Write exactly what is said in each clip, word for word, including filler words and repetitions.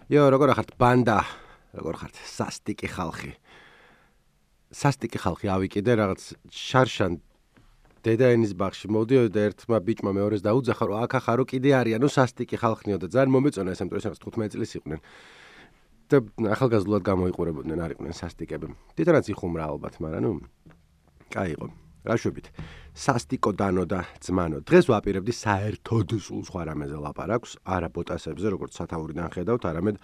იო, როგორ ხართ ბანდა? როგორ ხართ? სასტიკი ხალხი. სასტიკი ხალხი ავიკიდე რაღაც შარშან დედაენის ბაღში მოდიოდა ერთმა ბიჭმა მეორეს დაუძახა რომ აქ ახარო კიდე არიანო სასტიკი ხალხნიო და ძალიან მომეწონა ეს ამიტომ ეს თხუთმეტი წლის იყვნენ. და ახალგაზრდულად გამოიყურებოდნენ არ იყვნენ სასტიკები. თვითონაც იხუმრა ალბათ, მაგრამ ნუ კაი იყო. რა შვებით? სასტიკო დანო და ძმანო. დღეს ვაპირებდი საერთოდ სულ სხვა რამეზე ლაპარაკს, არა ბოტასებზე, როგორც სათაურიდან ხედავთ, არამედ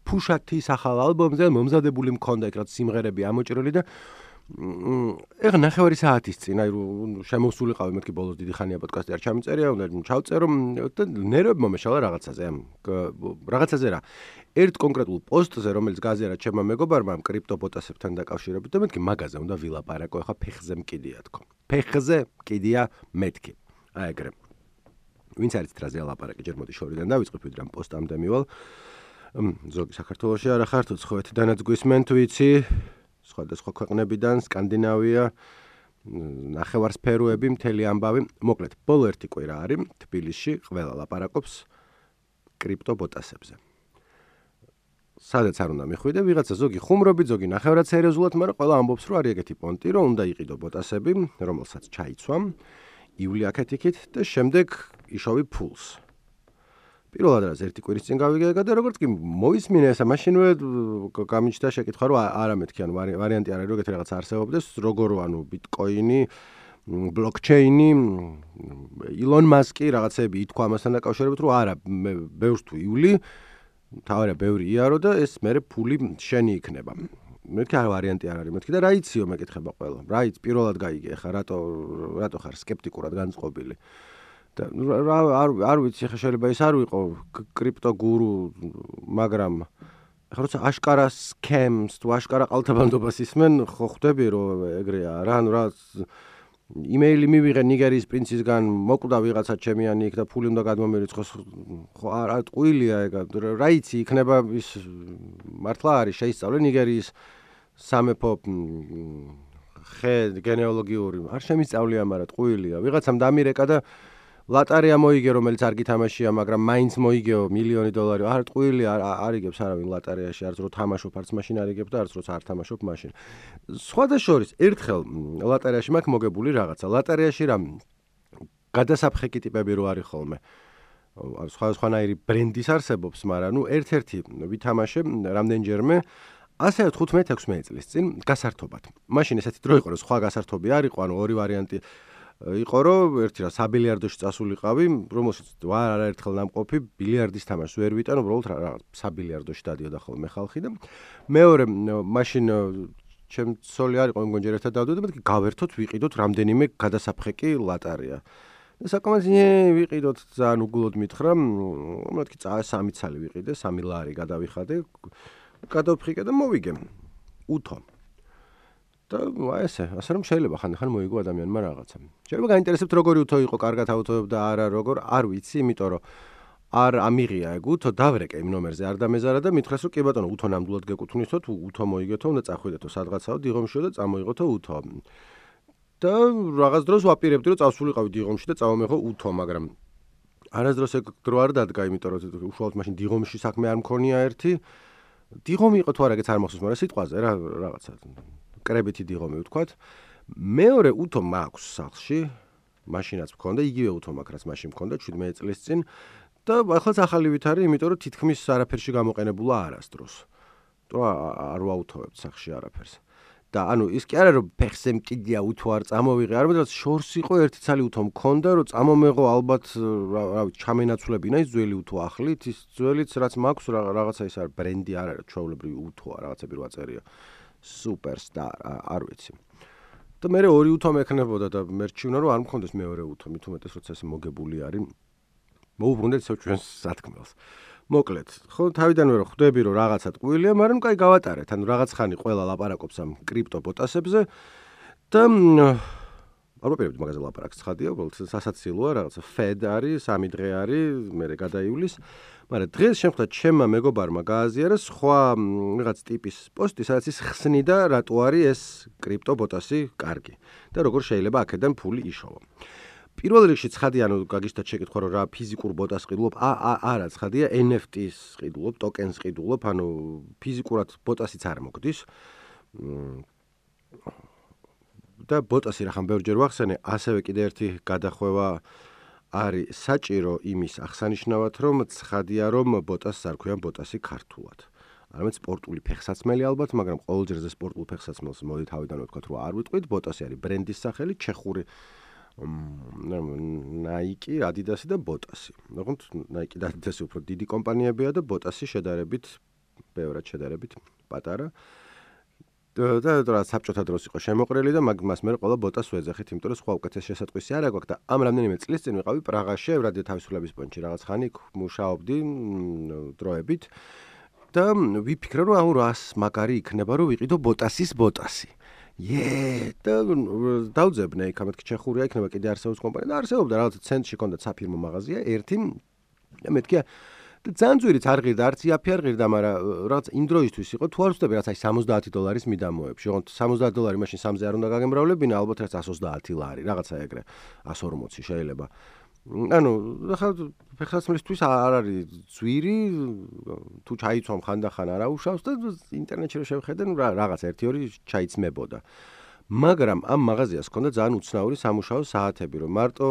ფუშათის ახალ ალბომზე მომზადებული მქონდა ეგ რაც სიმღერები ამოჭრილი და ეხა ნახევარი საათის წინ, აი შემოსულიყავი მეთქი ბოლოს დიდი ხანია პოდკასტი არ ჩამიწერია, უნდა ჩავწერო და ნერვები მომეშალა რაღაცაზე, ამ რაღაცაზე რა. ერთ კონკრეტულ პოსტზე, რომელიც გაზიარა ჩემმა მეგობარმა კრიპტობოტასებთან დაკავშირებით და მეთქი მაგაზე უნდა ვილაპარაკო, ეხა ფეხზე მკიდია თქო. ფეხზე მკიდია მეთქი. აი ეგრე. ვინც არის ტრაზეა ლაპარაკი, ჯერ მოდი შორიდან დავიწყებ, ვიდრე ამ პოსტამდე მივალ. ზოგი საქართველოში არა ხართ, უცხოეთიდანაც გვისმენთ, ვიცი. სხვადასხვა ქვეყნებიდან, სკანდინავია, ნახევარსფეროები, მთელი ამბავი. მოკლედ, ბოლო ერთი კვირა არის თბილისში, ყველა ლაპარაკობს კრიპტობოტასებზე. სადაც არ უნდა მიხვიდე, ვიღაცა ზოგი ხუმრობით, ზოგი ნახევრად სერიოზულად, მაგრამ ყველა ამბობს, რომ არის ეგეთი პონტი, რომ უნდა იყიდო ბოტასები, რომელსაც ჩაიცვამ, ივლი აქეთ-იქით და შემდეგ იშოვი ფულს. პირველად რას ერთი კვირის წინ გავიგე და როგორც კი მოისმინე ესა მაშინვე გამიჩნდა შეკითხვა რომ არა მეთქი ანუ ვარიანტი არის რომ ეგეთი რაღაც არსებობდეს როგორ ანუ ბიტკოინი ბლოკჩეინი ილონ მასკი რაღაცები ითქვა ამასთან დაკავშირებით რომ არა მე ბევრს თუ ივლი თავარია ბევრი იარო და ეს მერე ფული შენი იქნება მეთქი არა ვარიანტი არ არის მეთქი და რა იციო მეკითხება ყველა რა იცი პირველად გაიგე ხა რატო რატო ხარ სკეპტიკურად განწყობილი და არ არ ვიცი ხა შეიძლება ეს არ ვიყო კრიპტო გურუ მაგრამ ხა როცა აშკარა სკემს თუ აშკარა ყალთაბანდობას ისმენ ხო ხვდები რომ ეგრეა რა ანუ რა იმეილი მივიღე ნიგერიის პრინცისგან მოკვდა ვიღაცა ჩემიანი იქ და ფული უნდა გადმომერიცხოს ხო არა ტყუილია ეგ რა იცი იქნება ის მართლა არის შეისწავლე ნიგერიის სამეფო ხე გენეალოგიური არ შემისწავლია მაგრამ ტყუილია ვიღაცამ დამირეკა და ლატარია მოიგე რომელიც არ გითამაშია მაგრამ მაინც მოიგეო მილიონი დოლარი არ ტყუილი არ იგებს არავინ ლატარიაში არც რო თამაშობ არც მაშინ არ იგებ და არც როცა არ თამაშობ მაშინ სხვადასხვა ერთხელ ლატარიაში მაქვს მოგებული რაღაცა ლატარიაში რა გადასაფხეკი ტიპები რო არის ხოლმე სხვადასხვანაირი ბრენდის არსებობს მაგრამ ნუ ერთ-ერთი ვითამაშე რამდენჯერმე ასე თხუთმეტი ექვსმეტი წლის წინ გასართობად მაშინ ესეთი დრო იყო რომ სხვა გასართობი არ იყო ანუ ორი ვარიანტი იყო რომ ერთი რა საბილიარდოში წასულიყავი, რომელშიც ვარ არაერთხელ ნამყოფი ბილიარდის თამაშს ვერ ვიტან, უბრალოდ რაღაც საბილიარდოში დადიოდა ხოლმე ხალხი და მეორე მაშინ ჩემ ცოლი არ იყო, მგონი ჯერ ერთად დავდივდით და მეთქი გავერთოთ ვიყიდოთ რამდენიმე გადასაფხეკი ლატარია. და საკმაოდ ვიყიდოთ ძალიან უგულოდ მითხრა, მეთქი სამი ცალი ვიყიდე, სამი ლარი გადავიხადე, გადავფხიკე და მოვიგე. უთო და ესე, ასე რომ შეიძლება ხან-ხან მოიგო ადამიანმა რაღაცა. შეიძლება გაინტერესებთ როგორი უთო იყო, კარგად აუთოებდა არა როგორ, არ ვიცი, იმიტომ რომ არ ამიღია ეგ უთო, დავრეკე იმ ნომერზე, არ დამეზარა და მითხრეს რომ კი ბატონო, უთო ნამდვილად გეკუთვნისო, თუ უთო მოიგეთო, უნდა წახვიდეთო სადღაცაო დიღომშიო და წამოიღოთო უთო. და რაღაც დროს ვაპირებდი რომ წავსულიყავი დიღომში და წავამეღო უთო, მაგრამ არასდროს ეგ დრო არ დადგა, იმიტომ რომ უშუალოდ მაშინ დიღომში საქმე არ მქონია ერთი. დიღომი იყო თუ არა, ეგეც არ მახსოვს, მაგრამ სიტყვაზე რა რაღაცა კრებითი დიღომი ვთქვათ. მეორე უთო მაქვს სახლში, მაშინაც მქონდა, იგივე უთო მაქვს, რაც მაშინ მქონდა შვიდმეტი წლის წინ და ახლა ახალი ვით არის, იმიტომ რომ თითქმის არაფერში გამოყენებულა არასდროს. თუ არ ვაუთოვებთ სახლში არაფერს. და ანუ ის კი არა რომ ფეხზე მკიდია უთო არ წამოვიღე, არამედ რაც შორს იყო ერთი ცალი უთო მქონდა, რომ წამომეღო ალბათ რა ვიცი, ჩამენაცვლებინა ის ძველი უთო ახლით, ის ძველიც რაც მაქვს რაღაცა ის არის ბრენდი არ არის, ჩვეულებრივი უთოა, რაღაცები რო აწერია. Superstar არ ვიცი. და მე ორი უთო მექნებოდა და მერჩივნა რომ არ მქონდეს მეორე უთო, მით უმეტეს როცა ეს მოგებული არის. მოუბრუნდეთ ისევ ჩვენს სათქმელს. მოკლედ, ხო თავიდანვე რომ ხვდები რომ რაღაცა ტყუილია, მაგრამ კაი გავატარეთ. ანუ რაღაც ხანი ყველა ლაპარაკობს ამ კრიპტობოტასებზე და არ ვაპირებდი მაგაზე ლაპარაკს ცხადია, უბრალოდ სასაცილოა, რაღაცა Fed არის, სამი დღე არის, მერე გადაივლის. მაგრამ დღეს შემხვდა ჩემმა მეგობარმა გააზიარა სხვა რაღაც ტიპის პოსტი, სადაც ის ხსნიდა რატო არის ეს კრიპტობოტასი კარგი და როგორ შეიძლება აქედან ფული იშოვო. პირველ რიგში ცხადია, ანუ გაგიშთა შეკითხვა რომ რა ფიზიკურ ბოტას ყიდულობ, არა ცხადია, ენ ეფ ტის ყიდულობ, ტოკენს ყიდულობ, ანუ ფიზიკურად ბოტასიც არ მოგდის. და ბოტასი რახან ბევრჯერ ვახსენე, ასევე კიდე ერთი გადახვევა არის საჭირო იმის აღსანიშნავად, რომ ცხადია, რომ ბოტასს არ ქვიან ბოტასი ქართულად. არამედ სპორტული ფეხსაცმელი ალბათ, მაგრამ ყოველჯერზე სპორტულ ფეხსაცმელს მოდი თავიდანვე ვთქვათ, რომ არ ვიტყვით, ბოტასი არის ბრენდის სახელი, ჩეხური Nike, Adidas და ბოტასი. თუმცა Nike და Adidas უფრო დიდი კომპანიებია და ბოტასი შედარებით ბევრად შედარებით პატარა. და რა საბჭოთა დროს იყო შემოყრილი და მას მე ყველა ბოტას ვეძახით, იმიტომ რომ სხვა უკეთეს შესატყვისი არ აქვს და ამ რამდენიმე წლის წინ ვიყავი პრაღაში, რადიო თავისუფლების პონჩი რაღაც ხანი მუშაობდი დროებით და ვიფიქრე რომ აუ რას მაგარი იქნება რომ ვიყიდო ბოტასის ბოტასი. Ye, და დავძებნე იქ ამეთქი ჩეხურია იქნება კიდე არსებობს კომპანია და არსებობდა რაღაც ცენტრში ჰქონდა საფირმო მაღაზია ერთი და მეთქია და ძანძვირიც არ ღირდა არც იაფი არ ღირდა, მაგრამ რაღაც იმ დროისთვის იყო თუ არ ვწდები რაც აი სამოცდაათი დოლარის მიდამოებში. ოღონდ სამოცდაათი დოლარი მაშინ სამზე არ უნდა გაგემრავლებინა, ალბათ რაც εκατს ოცდაათი ლარი, რაღაცა ეგრე εκατს ორმოცი შეიძლება. ანუ ხა ფეხსაცმელისთვის არ არის ძვირი, თუ ჩაიცვამ ხანდახან არ აუშავს და ინტერნეტში რო შევხედე, ნუ რაღაც ერთი ორი ჩაიცმებოდა. მაგრამ ამ მაღაზიას ჰქონდა ძალიან უცნაური სამუშაო საათები, რომ მარტო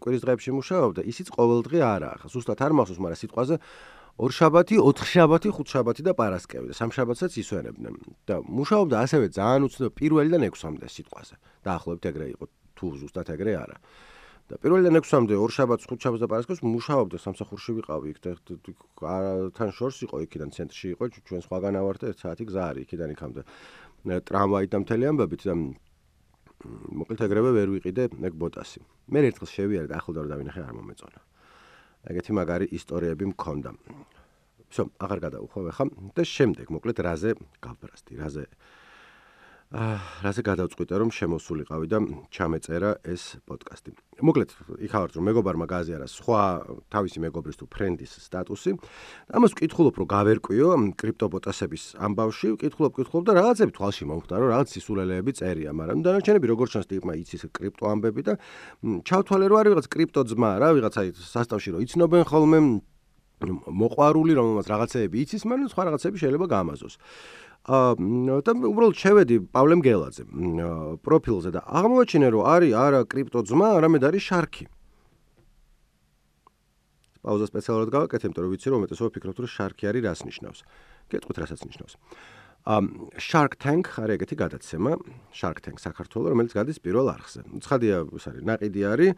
კვირის დღეებში მუშაობდა, ისიც ყოველდღე არაა. ხა ზუსტად არ მახსოვს, მაგრამ სიტყვაზე ორშაბათი, ოთხშაბათი, ხუთშაბათი და პარასკევი და სამშაბათსაც ისვენებდნენ. და მუშაობდა ასევე ძალიან უცნაური პირველიდან ექვსამდე სიტყვაზე. დაახლოებით ეგრე იყო, თუ ზუსტად ეგრე არა. და პირველიდან ექვსამდე ორშაბათს, ხუთშაბათს და პარასკევს მუშაობდა, სამსახურში ვიყავი იქ და თან შორს იყო იქიდან ცენტრში იყო, ჩვენ სხვაგან ავართ და ერთ საათი გზა არის იქიდან იქამდე. ტრამვაით და მთელი ამბებით და მოკლედ ეგრევე ვერ ვიყიდე ეგ ბოტასი. მე ერთხელ შევიარე და ახლდა რომ დავინახე არ მომეწონა. ეგეთი მაგარი ისტორიები მქონდა. всё, აღარ გადავუხვევ ახლა და შემდეგ მოკლედ რაზე გავბრასდი, რაზე აა რაზე გადავწყვიტე რომ შემოსულიყავი და ჩამეწერა ეს პოდკასტი. მოკლედ იქ ავართ რომ მეგობარმა გააზიარა სხვა თავისი მეგობრის თუ ფრენდის სტატუსი. ამას ვკითხულობ რომ გავერკვიო კრიპტობოტასების ამბავში, ვკითხულობ, ვკითხულობ და რაღაცები თვალში მომხვდა რომ რაღაც სისულელეები წერია, მაგრამ დანარჩენები როგორც ჩანს ტიპმა იცის კრიპტო ამბები და ჩავთვალე რომ არის რაღაც კრიპტო ძმა რა, ვიღაცა სასტავში რომ იცნობენ ხოლმე მოყვარული რომელმაც რაღაცეები იცის, მაგრამ სხვა რაღაცები შეიძლება გაამაზოს. აა და უბრალოდ შევედი პავლე მგელაძე პროფილზე და აღმოაჩინე რომ არის არა კრიპტო ძმა, არამედ არის შარქი. პაუზა სპეციალურად გავაკეთე, იმიტომ რომ ვიცი რომ უმეტესობა ფიქრობთ რომ შარქი არის რას ნიშნავს. გეტყვით რასაც ნიშნავს. აა Shark Tank არის ეგეთი გადაცემა, Shark Tank საქართველოს, რომელიც გადის პირველ არხზე. ცხადია, ეს არის ნაყიდი არის.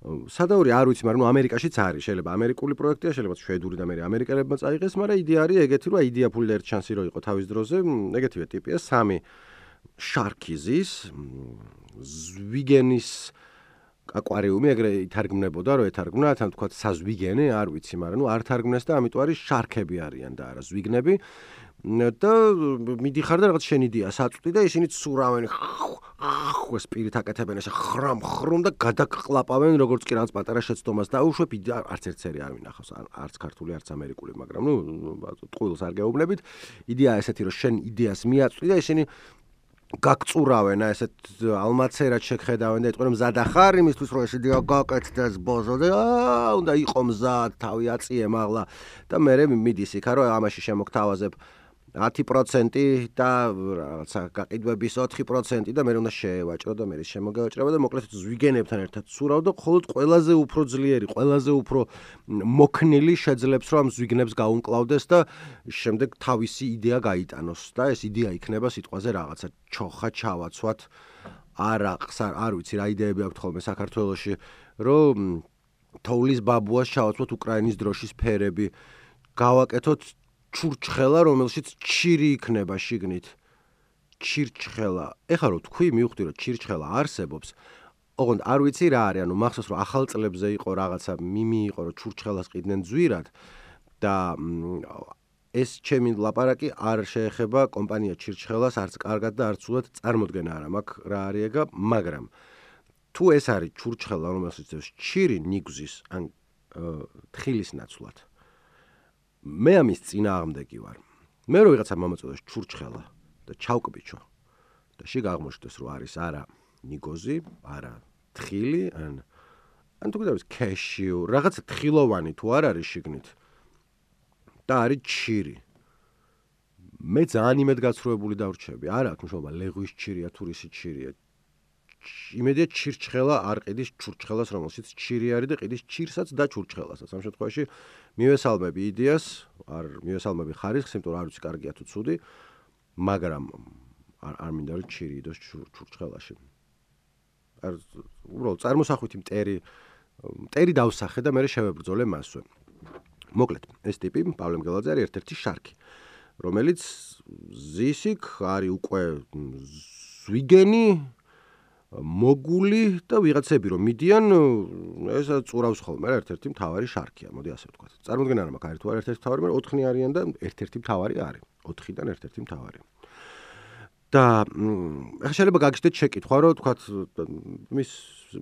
სადაური არ ვიცი, მაგრამ ნუ ამერიკაშიც არის, შეიძლება ამერიკული პროექტია, შეიძლება შვედური და მე ამერიკელებმა წაიღეს, მაგრამ იდეა არის ეგეთი, რომ იდეა ფული და ერთ შანსი რო იყო თავის დროზე, ეგეთივე ტიპია, სამი შარკიზის, ზვიგენის აკვარიუმი, ეგრე ითარგმნებოდა, რომ ეთარგმნა, თან თქვა საზვიგენე, არ ვიცი, მაგრამ ნუ არ თარგმნეს და ამიტომ არის შარკები არიან და არა ზვიგნები. და მიდიხარ და რაღაც შენ იდეა საწვდი და ისინი ცურავენ ხო სპირით აკეთებენ ესე ხრამ ხრუმ და გადაყლაპავენ როგორც კი რაღაც პატარა შეცდომას დაუშვებ არც ერთსერი არ მინახავს არც ქართული არც ამერიკული მაგრამ ნუ ტყუილს არ გეუბნებით იდეა ესეთი რომ შენ იდეას მიაწვდი და ისინი გაგწურავენ ესეთ ალმაცერად შეგხედავენ და ეტყვენ მზად ახარ იმისთვის რომ ეს იდეა გაკეთდეს ბოზო და უნდა იყო მზად თავი აწიე მაღლა და მე მიდის იქა რომ ამაში შემოგთავაზებ ათი პროცენტი და რაღაცა გაყიდვების ოთხი პროცენტი და მე უნდა შევაჭრო და მე შემოგევაჭრება და მოკლედ ზვიგენებთან ერთად ცურავ და მხოლოდ ყველაზე უფრო ძლიერი, ყველაზე უფრო მოქნილი შეძლებს რომ ამ ზვიგნებს გაუმკლავდეს და შემდეგ თავისი იდეა გაიტანოს და ეს იდეა იქნება სიტყვაზე რაღაცა ჩოხა ჩავაცვათ არაყს არ ვიცი რა იდეები აქვს ხოლმე საქართველოში რომ თოვლის ბაბუას ჩავაცვათ უკრაინის დროშის ფერები გავაკეთოთ ჩურჩხელა, რომელშიც ჩირი იქნება შიგნით. ჩირჩხელა. ეხლა რო თქვი, მივხვდი რომ ჩირჩხელა არსებობს. ოღონდ არ ვიცი რა არის, ანუ მახსოვს რომ ახალ წლებზე იყო რაღაცა მიმი იყო რომ ჩურჩხელას ყიდნენ ძვირად და ეს ჩემი ლაპარაკი არ შეეხება კომპანია ჩირჩხელას არც კარგად და არც სულად წარმოდგენა არ მაქვს რა არის ეგა, მაგრამ თუ ეს არის ჩურჩხელა, რომელშიც ჩირი ნიგზის ან თხილის ნაცვლად მე ამის წინააღმდეგი ვარ. მე რო ვიღაცა მომაწოდოს ჩურჩხელა და ჩავკბიჩო და შიგ აღმოჩნდეს რომ არის არა ნიგოზი, არა თხილი, ან ან თუ გითხარით cashew, რაღაცა თხილოვანი თუ არ არის შიგნით და არის ჩირი. მე ძალიან იმედ გაცრუებული დავრჩები. არა აქვს მნიშვნელობა ლეღვის ჩირია თუ რისი ჩირია. იმედია ჩირჩხელა არ ყიდის ჩურჩხელას, რომელშიც ჩირი არის და ყიდის ჩირსაც და ჩურჩხელასაც. ამ შემთხვევაში მივესალმები იდეას, არ მივესალმები ხარისხს, იმიტომ რომ არ ვიცი კარგია თუ ცუდი, მაგრამ არ არ მინდა რომ ჩირი იდოს ჩურჩხელაში. არ უბრალოდ წარმოსახვითი მტერი მტერი დავსახე და მე შევებრძოლე მასვე. მოკლედ, ეს ტიპი პავლე მგელაძე არის ერთ-ერთი შარქი, რომელიც ზისიქ არის უკვე ზვიგენი მოგული და ვიღაცები რომ მიდიან ეს წურავს ხოლმე რა ერთ-ერთი მთავარი შარქია, მოდი ასე ვთქვათ. წარმოუდგენ არა მაქვს არის თუ არ ერთ-ერთი მთავარი, მაგრამ ოთხი არიან და ერთ-ერთი მთავარი არის. ოთხიდან ერთ-ერთი მთავარი. და ახლა შეიძლება გაგიჟდეთ შეკითხვა, რომ თქვათ მის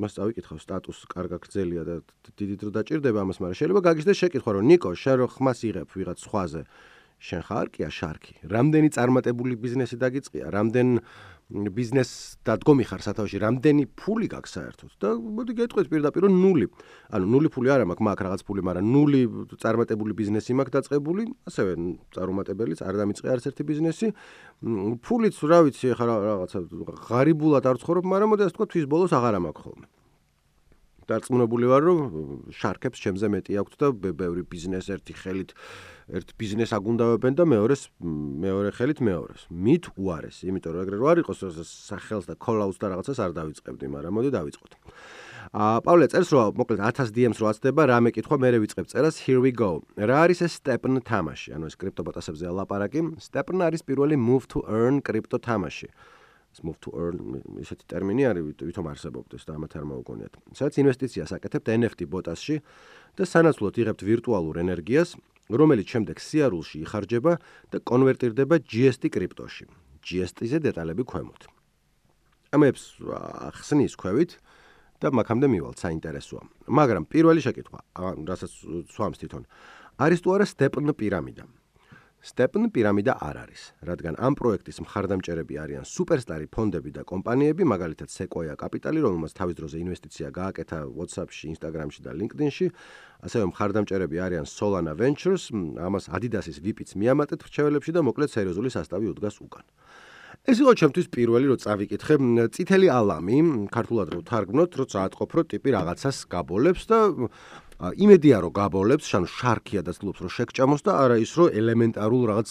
მას წავიკითხავ სტატუსს კარგა გრძელია და დიდი დრო დაჭირდება ამას, მაგრამ შეიძლება გაგიჟდეთ შეკითხვა, რომ ნიკო, შენ რო ხმას იღებ ვიღაც სხვაზე, შენ ხარ კია შარქი? რამდენი წარმატებული ბიზნესი დაგიწყია? რამდენ ბიზნეს დადგომი ხარ სათავეში? რამდენი ფული გაქვს საერთოდ? და მოდი გეტყვით პირდაპირ რომ ნული. ანუ ნული ფული არა მაქვს, მაქვს რაღაც ფული, მაგრამ ნული წარმატებული ბიზნესი მაქვს დაწყებული, ასევე წარუმატებელიც არ დამიწყე არც ერთი ბიზნესი. ფულიც რა ვიცი, ხა რაღაცა ღარიბულად არ ვცხოვრობ, მაგრამ მოდი ასე ვთქვა, თვის ბოლოს აღარა მაქვს ხოლმე. დარწმუნებული ვარ, რომ შარქებს ჩემზე მეტი აქვთ და ბევრი ბიზნეს ერთი ხელით ერთ ბიზნეს აგუნდავებენ და მეორეს მეორე ხელით მეორეს. მით უარეს, იმიტომ რომ ეგრე რო არ იყოს სახელს და call-outs და რაღაცას არ დავიწყებდი, მაგრამ მოდი დავიწყოთ. აა პავლე წერს რომ მოკლედ ათას დი ემს რო აცდება, რამე კითხვა, მე ვიწყებ წერას, here we go. რა არის ეს stepn თამაში? ანუ ეს კრიპტობოტასებზე ლაპარაკი. stepn არის პირველი move to earn კრიპტო თამაში. ეს move to earn ისეთი ტერმინი არის, ვითომ არსებობდეს და ამათ არ მოუგონიათ. სადაც ინვესტიციას აკეთებთ ენ ეფ ტი ბოტასში და სანაცვლოდ იღებთ ვირტუალურ ენერგიას, რომელიც შემდეგ სიარულში იხარჯება და კონვერტირდება ჯი ეს ტი კრიპტოში. ჯი ეს ტი-ზე დეტალები ქვემოთ. ამებს ახსნის ქვევით და მაგამდე მივალთ, საინტერესოა. მაგრამ პირველი შეკითხვა, რასაც სვამს თვითონ, არის თუ არა stepn პირამიდა? stepn პირამიდა არ არის, რადგან ამ პროექტის მხარდამჭერები არიან სუპერსტარი ფონდები და კომპანიები, მაგალითად Sequoia Capital, რომელმაც თავის დროზე ინვესტიცია გააკეთა WhatsApp-ში, Instagram-ში და LinkedIn-ში, ასევე მხარდამჭერები არიან Solana Ventures, ამას Adidas-ის ვი პიც მიამატეთ რჩეველებში და მოკლედ სერიოზული სასტავი უდგას უკან. ეს იყო ჩემთვის პირველი რო წავიკითხე, წითელი ალამი, ქართულად რო თარგმნოთ, როცა ატყობ, რომ ტიპი რაღაცას გაბოლებს და იმედია რომ გაბოლებს, შანუ შარქია და ცდილობს რომ შეგჭამოს და არა ის რომ ელემენტარულ რაღაც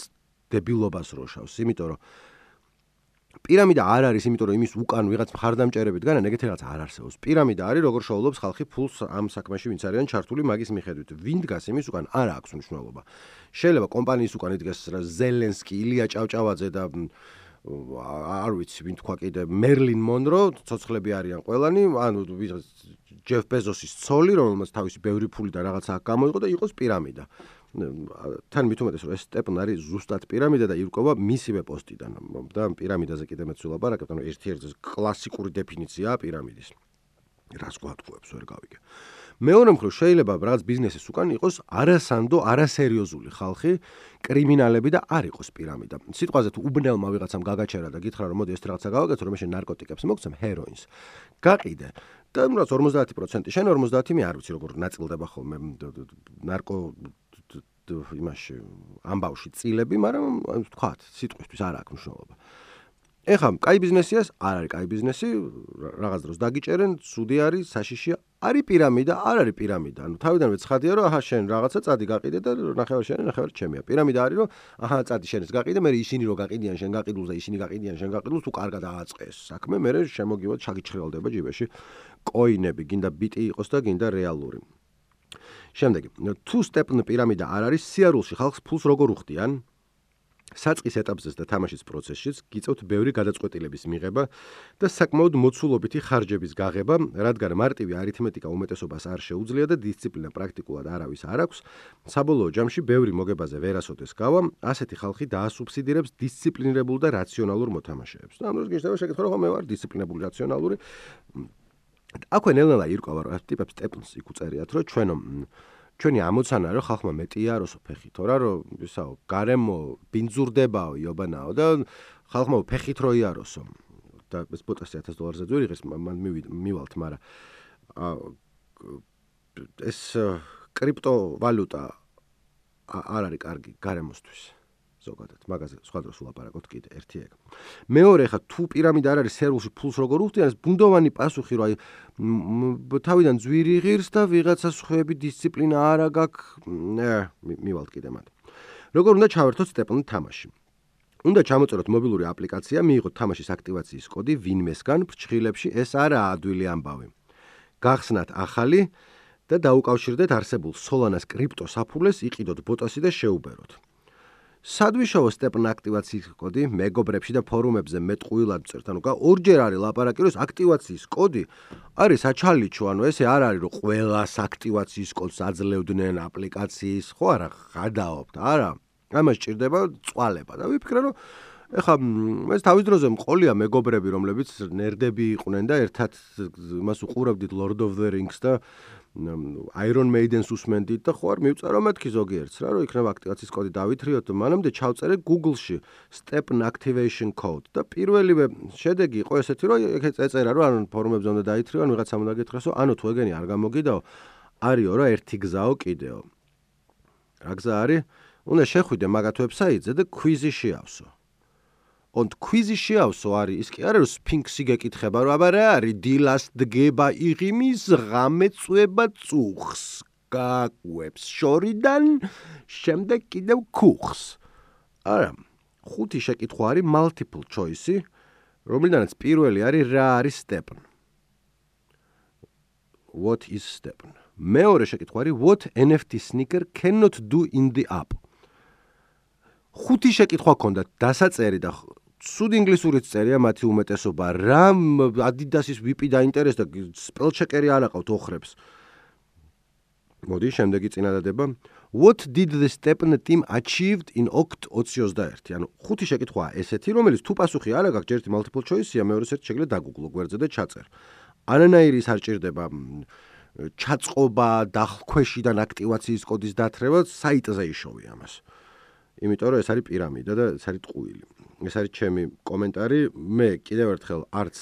დებილობას რო შავს, იმიტომ რომ პირამიდა არ არის, იმიტომ რომ იმის უკან ვიღაც მხარდამჭერებით განა ეგეთი რაღაც არ არსებობს. პირამიდა არის როგორ შოულობს ხალხი ფულს ამ საქმეში, ვინც არიან ჩართული მაგის მიხედვით. ვინ დგას იმის უკან არ აქვს მნიშვნელობა. შეიძლება კომპანიის უკან იდგეს ზელენსკი, ილია ჭავჭავაძე და არ ვიცი, ვინ თქვა კიდე მერლინ მონრო, ცოცხლები არიან ყველანი, ანუ ჯეფ ბეზოსის ცოლი, რომელმაც თავისი ბევრი ფული და რაღაცა აქ გამოიყო და იყოს პირამიდა. თან მით უმეტეს რომ ეს stepn არის ზუსტად პირამიდა და ირკვევა მისივე პოსტიდან და პირამიდაზე კიდე მეც ვილაპარაკებ, ანუ ერთ-ერთი კლასიკური დეფინიციაა პირამიდის. რას გვატყუებს ვერ გავიგე. მეორე მხრივ შეიძლება რაღაც ბიზნესის უკან იყოს არასანდო, არასერიოზული ხალხი, კრიმინალები და არ იყოს პირამიდა. სიტყვაზე თუ უბნელმა ვიღაცამ გაგაჩერა და გითხრა რომ მოდი ეს რაღაცა გავაკეთო, რომ შენ ნარკოტიკებს მოგცემ, ჰეროინს. გაყიდე. და რაც ორმოცდაათი პროცენტი შენ ორმოცდაათი მე არ ვიცი როგორ ნაწილდება ხოლმე ნარკო იმაში ამბავში წილები, მაგრამ ვთქვათ, სიტყვისთვის არ აქვს მნიშვნელობა. ეხლა, კაი ბიზნესიას, არ არის კაი ბიზნესი, რაღაც დროს დაგიჭერენ, ცუდი არის, საშიშია, არის პირამიდა, არ არის პირამიდა. ანუ თავიდანვე ცხადია, რომ აჰა შენ რაღაცა წადი გაყიდე და ნახევარ შენი, ნახევარ ჩემია. პირამიდა არის, რომ აჰა წადი შენს გაყიდე, მე ისინი რო გაყიდიან შენ გაყიდულს და ისინი გაყიდიან შენ გაყიდულს, თუ კარგად ააწყეს საქმე, მე შემოგივად ჩაგიჩხრელდება ჯიბეში კოინები, გინდა ბიტი იყოს და გინდა რეალური. შემდეგი, თუ stepn პირამიდა არ არის, სიარულში ხალხს ფულს როგორ უხდიან? საწყის ეტაპზეც და თამაშის პროცესშიც გიწევთ ბევრი გადაწყვეტილების მიღება და საკმაოდ მოცულობითი ხარჯების გაღება, რადგან მარტივი არითმეტიკა უმეტესობას არ შეუძლია და დისციპლინა პრაქტიკულად არავის არ აქვს. საბოლოო ჯამში ბევრი მოგებაზე ვერასოდეს გავა, ასეთი ხალხი დაასუბსიდირებს დისციპლინირებულ და რაციონალურ მოთამაშეებს. და ამ დროს გიჩნდება შეკითხვა, რომ მე ვარ დისციპლინებული, რაციონალური. აქვე ნელ-ნელა ირკვევა, რომ ტიპებს stepns იქ უწერიათ, რომ ჩვენო ჩვენი ამოცანა რომ ხალხმა მეტი აროსო ფეხით, რა რომ ისაო, გარემო ბინძურდებაო, იობანაო და ხალხმა ფეხით რო იაროსო. და ეს ბოტასი ათას დოლარზე ძვირიღეს, მან მივალთ, მაგრამ ეს კრიპტოვალუტა არ არის კარგი გარემოსთვის ზოგადად, მაგაზე სხვა დროს ვლაპარაკოთ კიდე ერთი ეგ. მეორე ხა თუ პირამიდა არ არის სერვერში ფულს როგორ უხდიან, ეს ბუნდოვანი პასუხი რომ აი თავიდან ძვირი ღირს და ვიღაცა სხვები დისციპლინა არა გაქვს, მივალთ კიდე მათ. როგორ უნდა ჩავერთოთ სტეპლ თამაში? უნდა ჩამოწეროთ მობილური აპლიკაცია, მიიღოთ თამაშის აქტივაციის კოდი ვინმესგან, ფრჩხილებში ეს არაა ადვილი ამბავი. გახსნათ ახალი და დაუკავშირდეთ არსებულ Solana-ს კრიპტოსაფულეს, იყიდოთ ბოტასი და შეუბეროთ. სადვიშოვო სტეპლ აქტივაციის კოდი მეგობრებში და ფორუმებზე მეტყუილად წერთ, ანუ ორჯერ არის ლაპარაკი, რომ აქტივაციის კოდი არის საჩალიჩო, ანუ ესე არ არის რომ ყველას აქტივაციის კოდს აძლევდნენ აპლიკაციის, ხო არა, გადაობთ, არა. ამას ჭირდება წვალება და ვიფიქრე რომ ეხა ეს თავის დროზე მყოლია მეგობრები, რომლებიც ნერდები იყვნენ და ერთად მას უყურავდით Lord of the Rings და Iron Maiden-ს უსმენდით და ხო არ მივწერო მეთქი ზოგიერთს რა, რომ იქნება აქტივაციის კოდი დავითრიოთ და მანამდე ჩავწერე Google-ში Stepn Activation Code და პირველივე შედეგი იყო ესეთი, რომ ეგ ეწერა, რომ ანუ ფორუმებზე უნდა დაითრიო, ან ვიღაცამ უნდა გითხრას, რომ ანუ თუ ეგენი არ გამოგიდაო, არისო რა ერთი გზაო კიდეო. რა გზა არის? უნდა შეხვიდე მაგათ ვებსაიტზე და კვიზი შეავსო. Und კვიზი შეავსო არის ის კი არა რომ სფინქსი გეკითხება რომ აბა რა არის დილას დგება იღიმის ღამეწვება წუხს გაკვებს შორიდან შემდეგ კიდევ ქუხს. არა, ხუთი შეკითხვა არის multiple choice-ი, რომლიდანაც პირველი არის რა არის Stepn. What is Stepn? მეორე შეკითხვა არის what N F T sneaker cannot do in the app. ხუთი შეკითხვა ქონდა დასაწერი და სულ ინგლისურით წერია მათი უმეტესობა. რა Adidas-ის ვი პი დაინტერესდა, spellchecker-ი არ აყავთ ოხრებს. მოდი, შემდეგი წინადადება. What did the Stepn team achieved in ოქტ ოცი ოცდაერთი? ანუ ხუთი შეკითხვაა ესეთი, რომელიც თუ პასუხი არ აქვს, ჯერ multiple choice-ია, მეორეს ერთ შეგიძლია დაგუგლო გვერდზე და ჩაწერ. ანანაირი ის არ ჭირდება ჩაწყობა დახქვეშიდან აქტივაციის კოდის დათრევა, საიტზე იშოვი ამას. იმიტომ რომ ეს არის პირამიდა და ეს არის ტყუილი. ეს არის ჩემი კომენტარი. მე კიდევ ერთხელ არც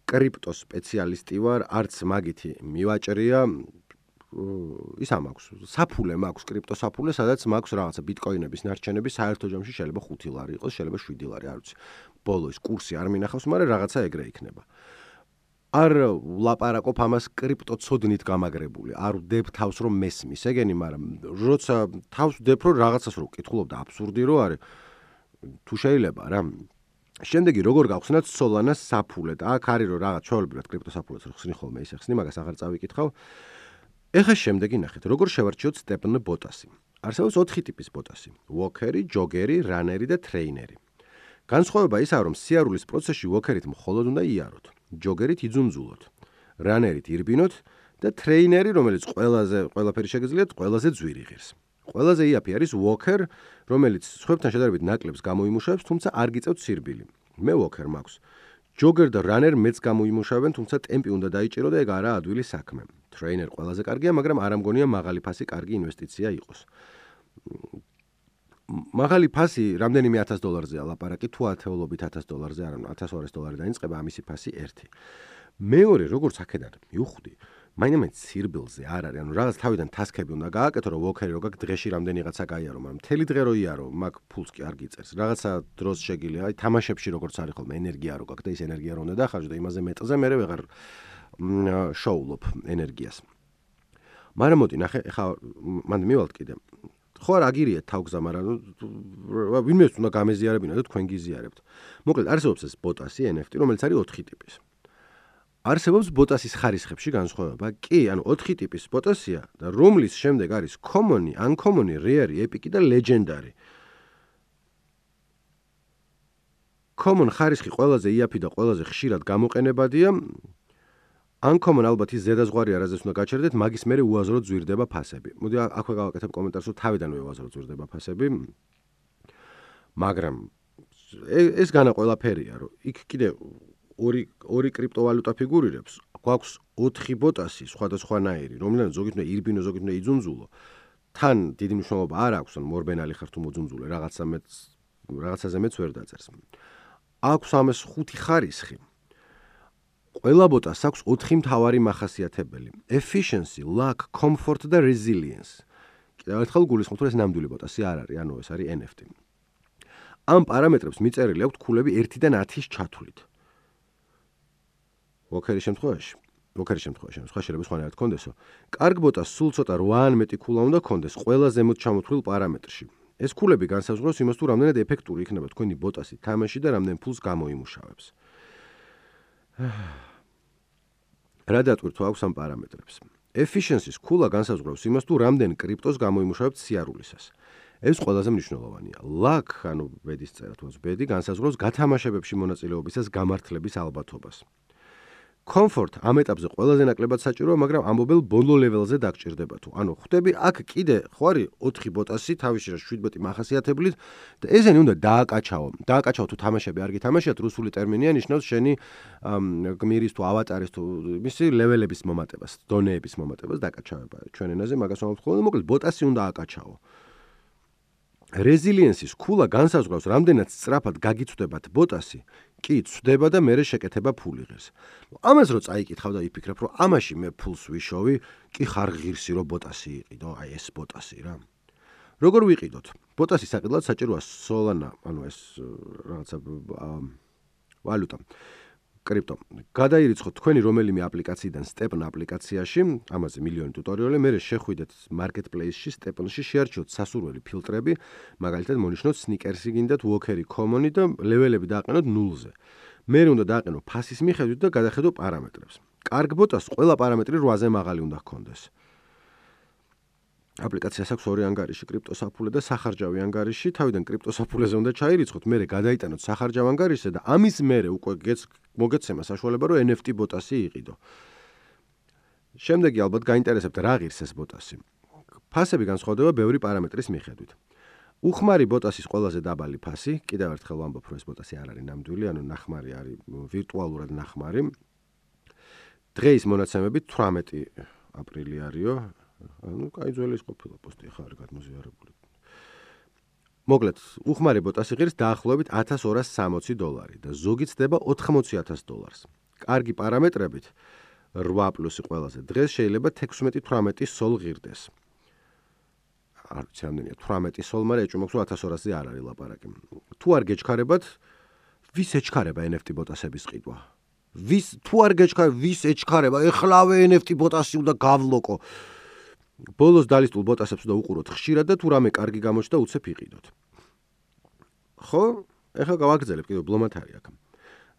კრიპტო სპეციალისტი ვარ, არც მაგითი მივაჭრია. ის ამაქვს, საფულე მაქვს, კრიპტო საფულე, სადაც მაქვს რაღაცა ბიტკოინების ნარჩენები, საერთო ჯამში შეიძლება ხუთი ლარი იყოს, შეიძლება შვიდი ლარი, არ ვიცი. ბოლოს კურსი არ მინახავს, მაგრამ რაღაცა ეგრე იქნება. არ ვლაპარაკობ ამას კრიპტო ცოდნით გამაგრებული. არ ვდებ თავს რომ მესმის ეგენი, მაგრამ როცა თავს ვდებ რომ რაღაცას რო ვკითხულობ და აბსურდი რო არის, თუ შეიძლება რა. შემდეგი როგორ გავხსნათ Solana-ს საფულე და აქ არის რომ რაღაც ჩვეულებრივად კრიპტო საფულეს რო ხსნი ხოლმე ისე ხსნი, მაგას აღარ წავიკითხავ. ეხლა შემდეგი ნახეთ, როგორ შევარჩიოთ Stepn ბოტასი. არსებობს ოთხი ტიპის ბოტასი: Walker-ი, Jogger-ი, Runner-ი და Trainer-ი. განსხვავება ისაა, რომ სიარულის პროცესში Walker-ით მხოლოდ უნდა იაროთ. ჯოგერით იძუნძულოთ, რანერით ირბინოთ და ტრეინერი, რომელიც ყველაზე ყველაფერი შეგიძლიათ, ყველაზე ძვირი ღირს. ყველაზე იაფი არის Walker, რომელიც სხვებთან შედარებით ნაკლებს გამოიმუშავებს, თუმცა არ გიწევთ სირბილი. მე Walker მაქვს. Jogger და Runner მეც გამოიმუშავებენ, თუმცა ტემპი უნდა დაიჭირო და ეგ არაა ადვილი საქმე. Trainer ყველაზე კარგია, მაგრამ არ ამგონია მაღალი ფასი კარგი ინვესტიცია იყოს. მაღალი ფასი რამდენიმე ათას დოლარზეა ლაპარაკი, თუ ათეულობით ათას დოლარზე, არა, ათას ორასი დოლარი დაიწყება ამისი ფასი ერთი. მეორე, როგორც აქედან მივხვდი, მაინც სირბილზე არ არის, ანუ რაღაც თავიდან ტასკები უნდა გააკეთო, რომ Walker-ი რო გაქვს დღეში რამდენიღაცა გაიარო, მაგრამ მთელი დღე რო იარო, მაგ ფულს კი არ გიწერს. რაღაცა დროს შეგიძლია, აი თამაშებში როგორც არის ხოლმე ენერგია რო გაქვს და ის ენერგია რო უნდა დახარჯო და იმაზე მეტზე მე ვეღარ შოულობ ენერგიას. მაგრამ მოდი ნახე, ხა მანდ მივალთ კიდე. ხო არ აგირიეთ თავგზა, მაგრამ ვინმეს უნდა გამეზიარებინა და თქვენ გიზიარებთ. მოკლედ არსებობს ეს ბოტასი N F T, რომელიც არის ოთხი ტიპის. არსებობს ბოტასის ხარისხებში განსხვავება. კი, ანუ ოთხი ტიპის ბოტასია და რომლის შემდეგ არის common-ი, uncommon-ი, rare-ი, epic-ი და legendary. common ხარისხი ყველაზე იაფი და ყველაზე ხშირად გამოყენებადია. Uncommon ალბათ ის ზედაზღვარი არაზეც უნდა გაჩერდეთ, მაგის მერე უაზროდ ზვირდება ფასები. მოდი აქვე გავაკეთებ კომენტარს, რომ თავიდანვე უაზროდ ზვირდება ფასები. მაგრამ ეს განა ყველაფერია, რომ იქ კიდე ორი ორი კრიპტოვალუტა ფიგურირებს, გვაქვს ოთხი ბოტასი სხვადასხვანაირი, რომლიდან ზოგით უნდა ირბინო, ზოგით უნდა იძუნძულო. თან დიდი მნიშვნელობა არ აქვს, ან მორბენალი ხარ თუ მოძუნძულე, რაღაცა მეც რაღაცაზე მეც ვერ დაწერს. აქვს ამას ხუთი ხარისხი. ყველა ბოტას აქვს ოთხი მთავარი მახასიათებელი: efficiency, luck, comfort და resilience. კიდევ ერთხელ გულისხმობთ, რომ ეს ნამდვილი ბოტასი არ არის, ანუ ეს არის ენ ეფ ტი. ამ პარამეტრებს მიწერილი აქვთ ქულები ერთიდან ათის ჩათვლით. ვოკერის შემთხვევაში, ვოკერის შემთხვევაში, სხვა შეიძლება სხვანაირად კონდესო. კარგ ბოტას სულ ცოტა რვა ან მეტი ქულა უნდა კონდეს ყველა ზემოთ ჩამოთვლილ პარამეტრში. ეს ქულები განსაზღვრავს იმას, თუ რამდენად ეფექტური იქნება თქვენი ბოტასი თამაში და რამდენ ფულს გამოიმუშავებს. რა დატვირთვა აქვს ამ პარამეტრებს? Efficiency-ს ქულა განსაზღვრავს იმას, თუ რამდენ კრიპტოს გამოიმუშავებთ სიარულისას. ეს ყველაზე მნიშვნელოვანია. Luck, ანუ ბედის წერა თუ ბედი განსაზღვრავს გათამაშებებში მონაწილეობისას გამართლების ალბათობას. Comfort ამ ეტაპზე ყველაზე ნაკლებად საჭიროა, მაგრამ ამბობელ ბოლო ლეველზე დაგჭირდება თუ. ანუ ხვდები, აქ კიდე ხო არის ოთხი ბოტასი თავის შრას შვიდმეტი მახასიათებლით და ესენი უნდა დააკაჩაო. დააკაჩაო თუ თამაშები არ გითამაშიათ, რუსული ტერმინია ნიშნავს შენი გმირის თუ ავატარის თუ მისი ლეველების მომატებას, დონეების მომატებას დაკაჩავება. ჩვენ ენაზე მაგას ვამბობთ ხოლმე, მოკლედ ბოტასი უნდა აკაჩაო. Resilience-ის ქულა განსაზღვრავს, რამდენად სწრაფად გაგიცვდებათ ბოტასი, კი ცვდება და მერე შეკეთება ფული ღირს. ამას რო წაიკითხავ და იფიქრებ, რომ ამაში მე ფულს ვიშოვი, კი ხარ ღირსი რო ბოტასი იყიდო, აი ეს ბოტასი რა. როგორ ვიყიდოთ? ბოტასი საყიდლად საჭიროა Solana, ანუ ეს რაღაცა ვალუტა. კრიპტო. გადაირიცხოთ თქვენი რომელიმე აპლიკაციიდან Stepn აპლიკაციაში, ამაზე მილიონი ტუტორიალი, მერე შეხვიდეთ marketplace-ში, Stepn-ში, შეარჩიოთ სასურველი ფილტრები, მაგალითად მონიშნოთ sneakers-ი გინდათ, walker-ი, common-ი და ლეველები დააყენოთ ნულზე. მერე უნდა დააყენო ფასის მიხედვით და გადახედო პარამეტრებს. კარგ ბოტას ყველა პარამეტრი რვაზე მაღალი უნდა ჰქონდეს. აპლიკაციას აქვს ორი ანგარიში, კრიპტოსაფულე და სახარჯავი ანგარიში. თავიდან კრიპტოსაფულეზე უნდა ჩაირიცხოთ, მერე გადაიტანოთ სახარჯავ ანგარიშზე და ამის მერე უკვე მოგეცემა საშუალება, რომ ენ ეფ ტი ბოტასი იყიდო. შემდეგი ალბათ გაინტერესებთ რა ღირს ეს ბოტასი. ფასები განსხვავდება ბევრი პარამეტრის მიხედვით. უხმარი ბოტასის ყველაზე დაბალი ფასი, კიდევ ერთხელ ვამბობ, რომ ეს ბოტასი არ არის ნამდვილი, ანუ ნახმარი არის ვირტუალურად ნახმარი. დღეის მონაცემებით თვრამეტი აპრილი არისო. ანუ კაი ძველი ის ყოფილა პოსტი ხარ გადმოზიარებული. მოკლედ, უხმარი ბოტასი ღირს დაახლოებით ათას ორას სამოცი დოლარი და ზოგი ცდება ოთხმოცი ათას დოლარს. კარგი პარამეტრებით რვა პლუსი ყველაზე დღეს შეიძლება თექვსმეტი თვრამეტი სოლ ღირდეს. არ ვიცი რამდენია თვრამეტი სოლ, მაგრამ ეჭვმაქვს რომ ათას ორასზე არ არის ლაპარაკი. თუ არ გეჩქარებათ, ვის ეჩქარება ენ ეფ ტი ბოტასების ყიდვა? ვის თუ არ გეჩქარება, ვის ეჩქარება? ეხლავე ენ ეფ ტი ბოტასი უნდა გავლოკო. ბოლოს დალისტულ ბოტასებს უნდა უყუროთ ხშირად და თუ რამე კარგი გამოჩნდა უცებ იყიდოთ. ხო, ეხლა გავაგრძელებ კიდევ ბლომად არის აქ.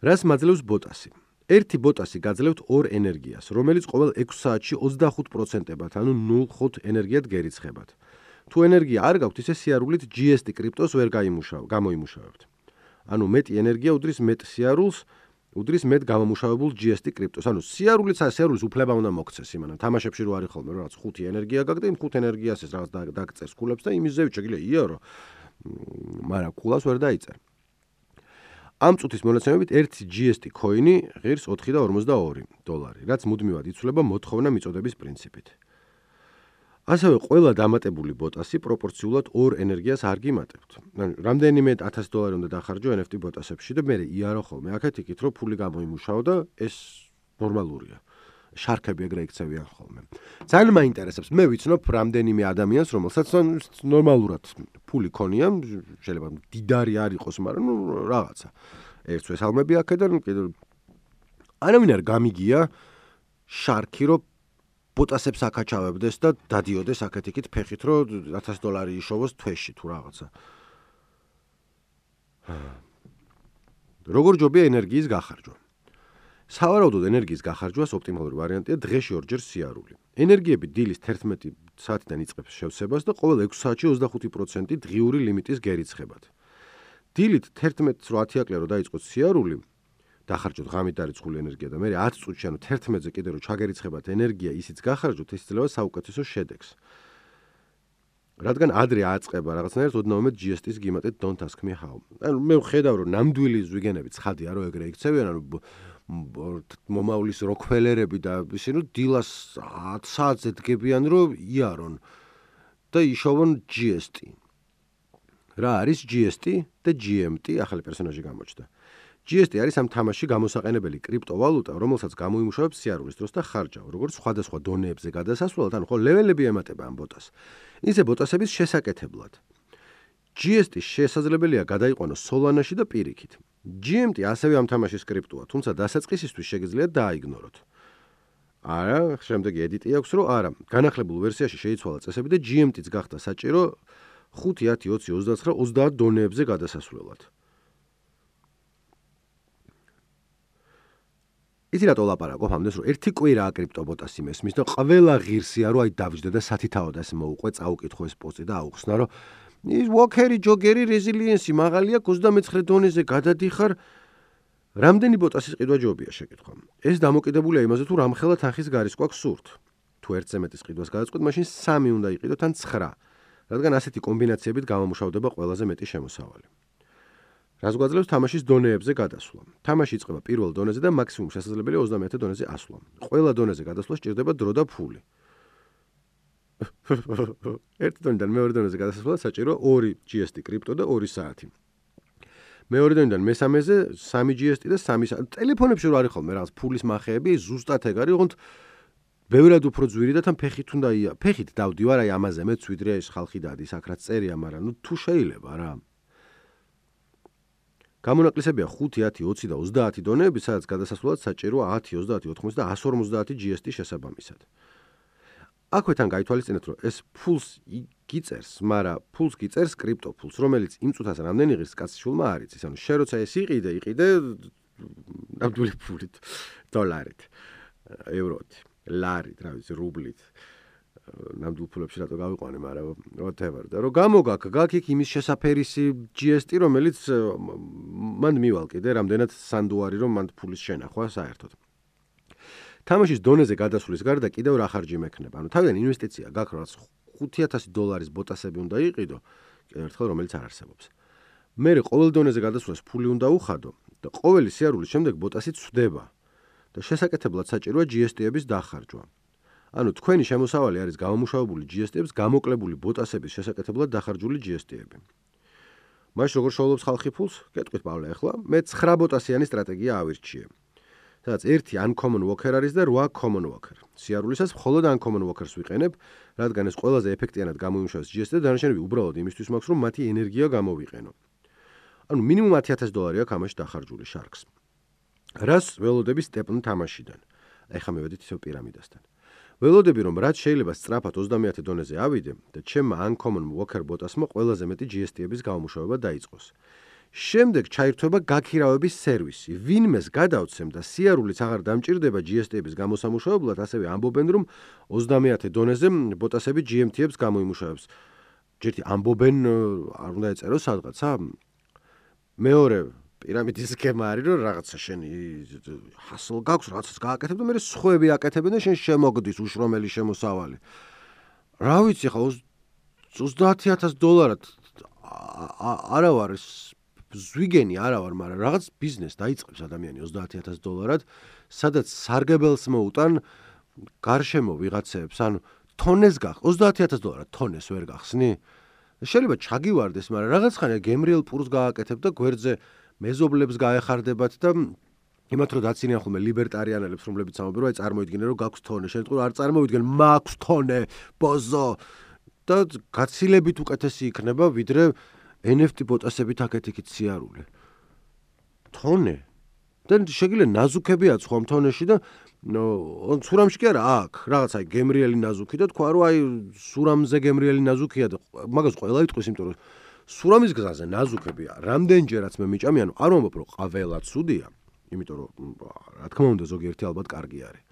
რას მაძლევს ბოტასი? ერთი ბოტასი გაძლევთ ორ ენერგიას, რომელიც ყოველ ექვს საათში ოცდახუთ პროცენტებად, ანუ ნულ ხუთ ენერგიად გერიცხებათ. თუ ენერგია არ გაქვთ, ისე სიარულით ჯი ეს ტი კრიპტოს ვერ გამოიმუშავებთ. ანუ მეტი ენერგია უდრის მეტ სიარულს, უდრის მეტ გამომუშავებულ ჯი ეს ტი კრიპტოს. ანუ სიარულიც სიარულის უფლება უნდა მოგცეს იმან. თამაშებში რო არის ხოლმე რაღაც ხუთი ენერგია გაქვს და იმ ხუთ ენერგიას ეს რაღაც დაგწერს ქულებს და იმის ზევით შეგიძლია იარო. მაგრამ ქულას ვერ დაიწერ. ამ წუთის მონაცემებით ერთი ჯი ეს ტი ქოინი ღირს ოთხი და ორმოცდაორი დოლარი, რაც მუდმივად იცვლება მოთხოვნა მიწოდების პრინციპით. ასევე ყველა დამატებული ბოტასი პროპორციულად ორ ენერგიას არ გიმატებთ. რამდენიმე ათას დოლარი უნდა დახარჯო ენ ეფ ტი ბოტასებში და მე იარო ხოლმე აქეთ იქით რომ ფული გამოიმუშაო და ეს ნორმალურია. შარქები ეგრე იქცევიან ხოლმე. ძალიან მაინტერესებს. მე ვიცნობ რამდენიმე ადამიანს, რომელსაც ნორმალურად ფული ქონია, შეიძლება დიდარი არ იყოს, მაგრამ ნუ რაღაცა. ერთს ვესალმები აქედან, კიდევ არავინ არ გამიგია შარქი რომ ბოტასებს აკაჩავებდეს და დადიოდეს აქეთ იქით ფეხით, რომ ათას დოლარი იშოვოს თვეში თუ რაღაცა. როგორ ჯობია ენერგიის გახარჯვა? სავარაუდოდ ენერგიის გახარჯვას ოპტიმალური ვარიანტია დღეში ორჯერ სიარული. ენერგიები დილის თერთმეტი საათიდან იწყებს შევსებას და ყოველ ექვს საათში ოცდახუთი პროცენტი დღიური ლიმიტის გერიცხებათ. დილით თერთმეტს რო ათი აკლია რო დაიწყოთ სიარული, დახარჯოთ ღამით დარიცხული ენერგია და მე ათ წუთში ანუ თერთმეტზე კიდე რო ჩაგერიცხებათ ენერგია, ისიც გახარჯოთ, ეს იძლევა საუკეთესო შედეგს. რადგან ადრე აწყება რაღაცნაირად ოდნავ მეტ ჯი ეს ტის გიმატეთ don't ask me how. ანუ მე ვხედავ რომ ნამდვილი ზვიგენები ცხადია რომ ეგრე იქცევიან, ანუ მომავლის როკფელერები და ისინი დილას ათ საათზე დგებიან რომ იარონ და იშოვონ ჯი ეს ტი. რა არის ჯი ეს ტი და ჯი ემ ტი? ახალი პერსონაჟი გამოჩნდა. ჯი ეს ტი არის ამ თამაშში გამოსაყენებელი კრიპტოვალუტა, რომელსაც გამოიმუშავებს სიარულის დროს და ხარჯავ, როგორც სხვადასხვა დონეებზე გადასასვლელად, ანუ ხო ლეველები ემატება ამ ბოტას. ისე ბოტასების შესაკეთებლად. ჯი ეს ტი შესაძლებელია გადაიყვანოს Solana-ში და პირიქით. ჯი ემ ტი ასევე ამ თამაშის კრიპტოა, თუმცა დასაწყისისთვის შეგიძლიათ დააიგნოროთ. არა, შემდეგი ედიტი აქვს, რომ არა, განახლებულ ვერსიაში შეიცვალა წესები და ჯი ემ ტიც გახდა საჭირო ხუთი, ათი, ოცი, ოცდაათი, ოცდაათ დონეებზე გადასასვლელად. იცი რატო ლაპარაკობ ამდენს, რომ ერთი კვირაა კრიპტობოტასი მესმის და ყველა ღირსია, რომ აი დავჯდე და სათითაოდ ასე მოუყვე, წაუკითხო ეს პოსტი და აუხსნა, რომ ის ვოქერი, ჯოგერი, რეზილიენსი მაღალი აქვს ოცდამეცხრე დონეზე გადადიხარ. რამდენი ბოტასის ყიდვა ჯობია შეკითხვა. ეს დამოკიდებულია იმაზე, თუ რამხელა თანხის გარის გვაქვს სურთ. თუ ერთზე მეტის ყიდვას გადაწყვეტ, მაშინ სამი უნდა იყიდოთ ან ცხრა, რადგან ასეთი კომბინაციებით გამომუშავდება ყველაზე მეტი შემოსავალი. რას გვაძლევს თამაშის დონეებზე გადასვლა. თამაში იწყება პირველ დონეზე და მაქსიმუმ შესაძლებელია ოცდამეათე დონეზე ასვლა. ყველა დონეზე გადასვლა სჭირდება დრო და ფული. ერთი დონიდან მეორე დონეზე გადასვლად საჭირო ორი ჯი ეს ტი კრიპტო და ორი საათი. მეორე დონიდან მესამეზე სამი ჯი ეს ტი და სამი საათი. ტელეფონებში რო არის ხოლმე რაღაც ფულის მახეები, ზუსტად ეგ არის, ოღონდ ბევრად უფრო ძვირი და თან ფეხით უნდა ია. ფეხით დავდივარ აი ამაზე მეც ვიდრე ეს ხალხი დადის, აქ რაც წერია, მაგრამ ნუ თუ შეიძლება რა. გამონაკლისებია ხუთი, ათი, ოცი და ოცდაათი დონეები, სადაც გადასასვლელად საჭიროა ათი, ოცდაათი, ოთხმოცი და εκατს ორმოცდაათი ჯი ეს ტი შესაბამისად. აქვე თან გაითვალისწინეთ, რომ ეს ფულს გიწერს, მაგრამ ფულს გიწერს კრიპტო ფულს, რომელიც იმ წუთას რამდენი ღირს კაცი შულმა არ იცის. ანუ შენ როცა ეს იყიდე, იყიდე ნამდვილი ფულით, დოლარით, ევროთი, ლარით, რა ვიცი, რუბლით. ნამდვილ ფულებში რატო გავიყვანე, მაგრამ whatever. და რომ გამოგაქ, გაქ იმის შესაფერისი ჯი ეს ტი, რომელიც მან მივალ კიდე რამდენად სანდუარი, რომ მან ფულის შენახვა საერთოდ. თამაშის დონეზე გადასვლის გარდა კიდევ რა ხარჯი მექნება. ანუ თავიდან ინვესტიცია გაქვს, რაც ხუთი ათასი დოლარის ბოტასები უნდა იყიდო, კიდევ ერთხელ რომელიც არ არსებობს. მერე ყოველ დონეზე გადასვლას ფული უნდა უხადო და ყოველი სიარულის შემდეგ ბოტასი ცვდება და შესაკეთებლად საჭიროა ჯი ეს ტი-ების დახარჯვა. ანუ თქვენი შემოსავალი არის გამომუშავებული ჯი ეს ტი-ების გამოკლებული ბოტასების შესაკეთებლად დახარჯული ჯი ეს ტი-ები. მაშინ როგორ შოულობს ხალხი ფულს? გეტყვით პავლე ახლა, მე ცხრა ბოტასიანი სტრატეგია ავირჩიე. სადაც ერთი uncommon worker არის და რვა common worker. სიარულისას მხოლოდ uncommon workers ვიყენებ, რადგან ეს ყველაზე ეფექტიანად გამოიმუშავებს ჯი ეს ტი და დანარჩენები უბრალოდ იმისთვის მაქვს, რომ მათი ენერგია გამოვიყენო. ანუ მინიმუმ ათი ათასი დოლარი აქვს ამაში დახარჯული შარკს. რას ველოდები სტეპნ თამაშიდან? ეხლა მივედით ისევ პირამიდასთან. ველოდები რომ რაც შეიძლება სწრაფად ოცდამეათე დონეზე ავიდე და ჩემმა uncommon worker ბოტასმა ყველაზე მეტი ჯი ეს ტი-ების გამომუშავება დაიწყოს. შემდეგ ჩაირთვება გაქირავების სერვისი. ვინმეს გადავცემ და სიარულიც აღარ დამჭირდება ჯი ეს ტი-ების გამოსამუშავებლად, ასევე ამბობენ, რომ ოცდამეათე დონეზე ბოტასები ჯი ემ ტი-ებს გამოიმუშავებს. ჯერთი ამბობენ, არ უნდა ეწერო სადღაცა. მეორე პირამიდის სქემა არის, რომ რაღაცა შენი ჰასლ გაქვს, რაღაცას გააკეთებ და მე სხვები აკეთებენ და შენ შემოგდის უშრომელი შემოსავალი. რა ვიცი ხა ოცდაათი ათასი დოლარად არა ვარ ზვიგენი არა ვარ, მაგრამ რაღაც ბიზნეს დაიწყებს ადამიანი ოცდაათი ათასი დოლარად, სადაც სარგებელს მოუტან გარშემო ვიღაცებს, ანუ თონეს გახ ოცდაათი ათასი დოლარად თონეს ვერ გახსნი? შეიძლება ჩაგივარდეს, მაგრამ რაღაც ხანია გემრიელ პურს გააკეთებ და გვერდზე მეზობლებს გაეხარდებათ და იმათ რომ დაცინიან ხოლმე ლიბერტარიანელებს, რომლებიც ამბობენ, რომ აი წარმოიდგინე რომ გაქვს თონე, შენ თქო არ წარმოვიდგენ, მაქვს თონე, ბოზო და გაცილებით უკეთესი იქნება, ვიდრე ენ ეფ ტი ბოტასებით აკეთიქით სიარული. თონე. და შეგიძლია ნაზუქებია სხვა თონეში და სურამში კი არა აქ, რაღაც აი გემრიელი ნაზუქი და თქვა რომ აი სურამზე გემრიელი ნაზუქია და მაგას ყველა იტყვის, იმიტომ რომ სურამის გზაზე ნაზუქებია. რამდენჯერაც მე მიჭამი, ანუ არ ვამბობ რომ ყველა ცუდია, იმიტომ რომ რა თქმა უნდა ზოგიერთი ალბათ კარგი არის.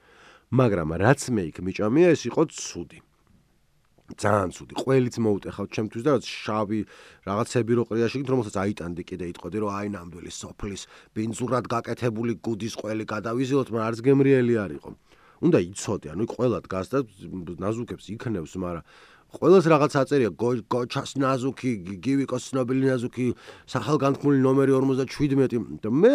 მაგრამ რაც მე იქ მიჭამია, ეს იყო ცუდი. ძალიან ცუდი. ყველიც მოუტეხავთ ჩემთვის და რაც შავი რაღაცები რო ყრია შეგით, რომელსაც აიტანდი კიდე იტყოდი, რომ აი ნამდვილი სოფლის ბინძურად გაკეთებული გუდის ყველი გადავიზიოთ, მაგრამ არც გემრიელი არ იყო. უნდა იცოდე, ანუ ყველა დგას და ნაზუქებს იქნევს, მაგრამ ყველას რაღაც აწერია, გოჩას ნაზუქი, გივიკოს ცნობილი ნაზუქი, სახელგანთქმული ნომერი ორმოცდაშვიდმეტი და მე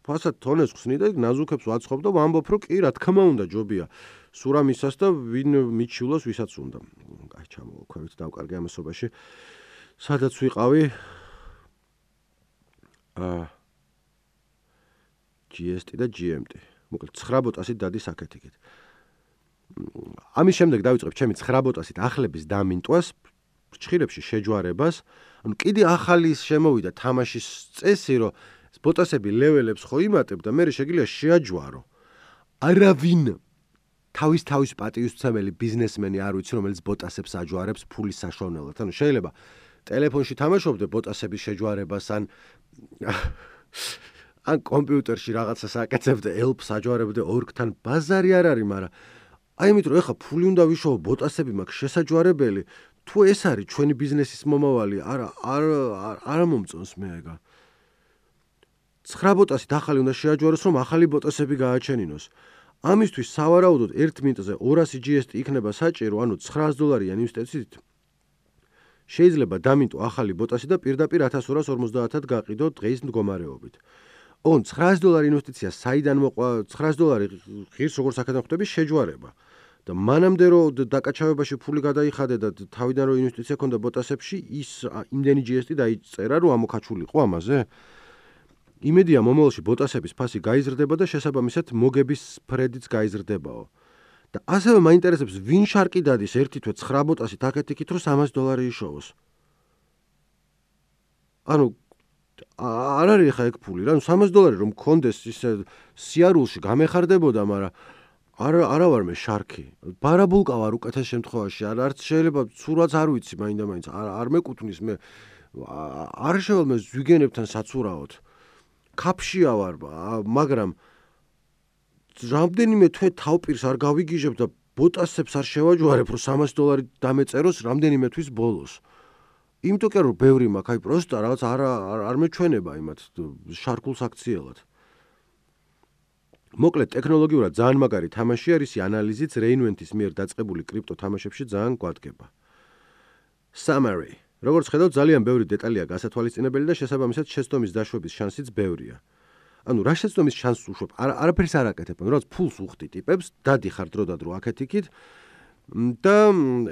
ფასად თონეს ხსნი და ნაზუქებს ვაცხობ და ვამბობ, რომ კი, რა თქმა უნდა, ჯობია. სურამისას და ვინ მიჩივლოს, ვისაც უნდა. აი, ჩამოვაქვევით დავკარგე ამასობაში. სადაც ვიყავი? აა ჯი ეს ტი და ჯი ემ ტი. მოკლედ ცხრა ბოტასით დადის აქეთ-იქით. ამის შემდეგ დავიწყებ ჩემი ცხრა ბოტასითახლების დამინტვას, ფრჩხილებში შეჯვარებას. ანუ კიდე ახალი შემოვიდა თამაშის წესი, რომ ბოტასები ლეველებს ხო იმატებ და მე შეგიძლია შეაჯვარო. არავინ თავის თავის პატივისცემელი ბიზნესმენი არ ვიცი, რომელიც ბოტასებს აჯვარებს ფულის საშუალებლად. ანუ შეიძლება ტელეფონში თამაშობდე ბოტასების შეჯვარებას ან ან კომპიუტერში რაღაცას აკეთებდე, ელფს აჯვარებდე ორგთან, ბაზარი არ არის, მაგრამ აი იმიტომ რომ ეხა ფული უნდა ვიშოვო, ბოტასები მაქვს შესაჯვარებელი, თუ ეს არის ჩვენი ბიზნესის მომავალი, არა არ არ მომწონს მე ეგა. ცხრა ბოტასით ახალი უნდა შეაჯვაროს, რომ ახალი ბოტასები გააჩენინოს. ამისთვის სავარაუდოდ ერთ მინუტზე ორასი ჯი ეს ტი იქნება საჭირო, ანუ ცხრაას დოლარიან ინვესტიციით. შეიძლება დამინტო ახალი ბოტასი და პირდაპირ ათას ორას ორმოცდაათად გაყიდო დღეის მდგომარეობით. ოღონდ ცხრაას დოლარი ინვესტიცია საიდან მოყვა, ცხრაას დოლარი ღირს როგორც აქედან ხვდები შეჯვარება. და მანამდე რომ დაკაჩავებაში ფული გადაიხადე და თავიდან რომ ინვესტიცია ქონდა ბოტასებში, ის იმდენი ჯი ეს ტი დაიწერა, რომ ამოქაჩულიყო ამაზე. იმედია მომავალში ბოტასების ფასი გაიზრდება და შესაბამისად მოგების ფრედიც გაიზრდებაო. და ასევე მაინტერესებს ვინ შარკი დადის ერთი თვე ცხრა ბოტასით აქეთ-იქით რომ სამას დოლარი იშოვოს. ანუ არ არის ხა ეგ ფული რა, სამას დოლარი რომ მქონდეს ისე სიარულში გამეხარდებოდა, მაგრამ არ არა ვარ მე შარკი. ბარაბულკა ვარ უკეთეს შემთხვევაში, არ არც შეიძლება ცურვაც არ ვიცი მაინდა-მაინც, არ არ მეკუთვნის მე არ შევალ მე ზვიგენებთან საცურაოდ. ქაფშია ვარ, მაგრამ რამდენიმე თვე თავპირს არ გავიგიჟებ და ბოტასებს არ შევაჯვარებ, რომ სამას დოლარი დამეწეროს რამდენიმე თვის ბოლოს. იმიტომ კი რომ ბევრი მაქვს, აი პროსტა რაღაც არ არ მეჩვენება იმათ შარკულს აქციელად. მოკლედ ტექნოლოგიურად ძალიან მაგარი თამაში არის ანალიზიც რეინვენტის მიერ დაწყებული კრიპტო თამაშებში ძალიან გვადგება. Summary. როგორც ხედავთ, ძალიან ბევრი დეტალია გასათვალისწინებელი და შესაბამისად შეცდომის დაშვების შანსიც ბევრია. ანუ რა შეცდომის შანსს უშვებ? არაფერს არ აკეთებ, რაღაც ფულს უხდი ტიპებს, დადიხარ დრო და დრო აქეთ-იქით და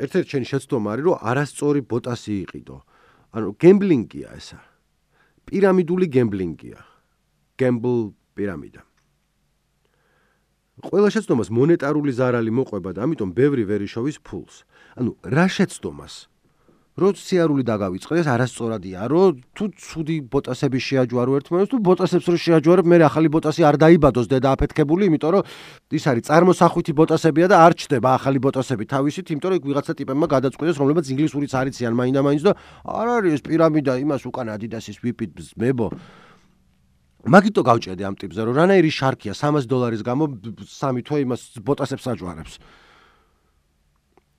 ერთ-ერთი შენი შეცდომა არის, რომ არასწორი ბოტასი იყიდო. ანუ გემბლინგია ესა. პირამიდული გემბლინგია. Gamble პირამიდა. ყველა შეცდომას მონეტარული ზარალი მოყვება და ამიტომ ბევრი ვერ იშოვის ფულს. ანუ რა შეცდომას? რო სიარული დაგავიწყდეს, არასწორადია, რომ თუ ცუდი ბოტასები შეაჯვარო ერთმანეთს, თუ ბოტასებს რო შეაჯვარებ, მე ახალი ბოტასი არ დაიბადოს დედა აფეთქებული, იმიტომ რომ ის არის წარმოსახვითი ბოტასებია და არ ჩდება ახალი ბოტასები თავისით, იმიტომ რომ იქ ვიღაცა ტიპებმა გადაწყვიტეს, რომლებიც ინგლისურიც არიციან მაინდა-მაინც და არ არის ეს პირამიდა, იმას უკან ადიდასის ვიპით მებო. მაგიტო გავჭედე ამ ტიპზე, რომ რანაირი შარკია სამას დოლარის გამო სამი თვე იმას ბოტასებს აჯვარებს.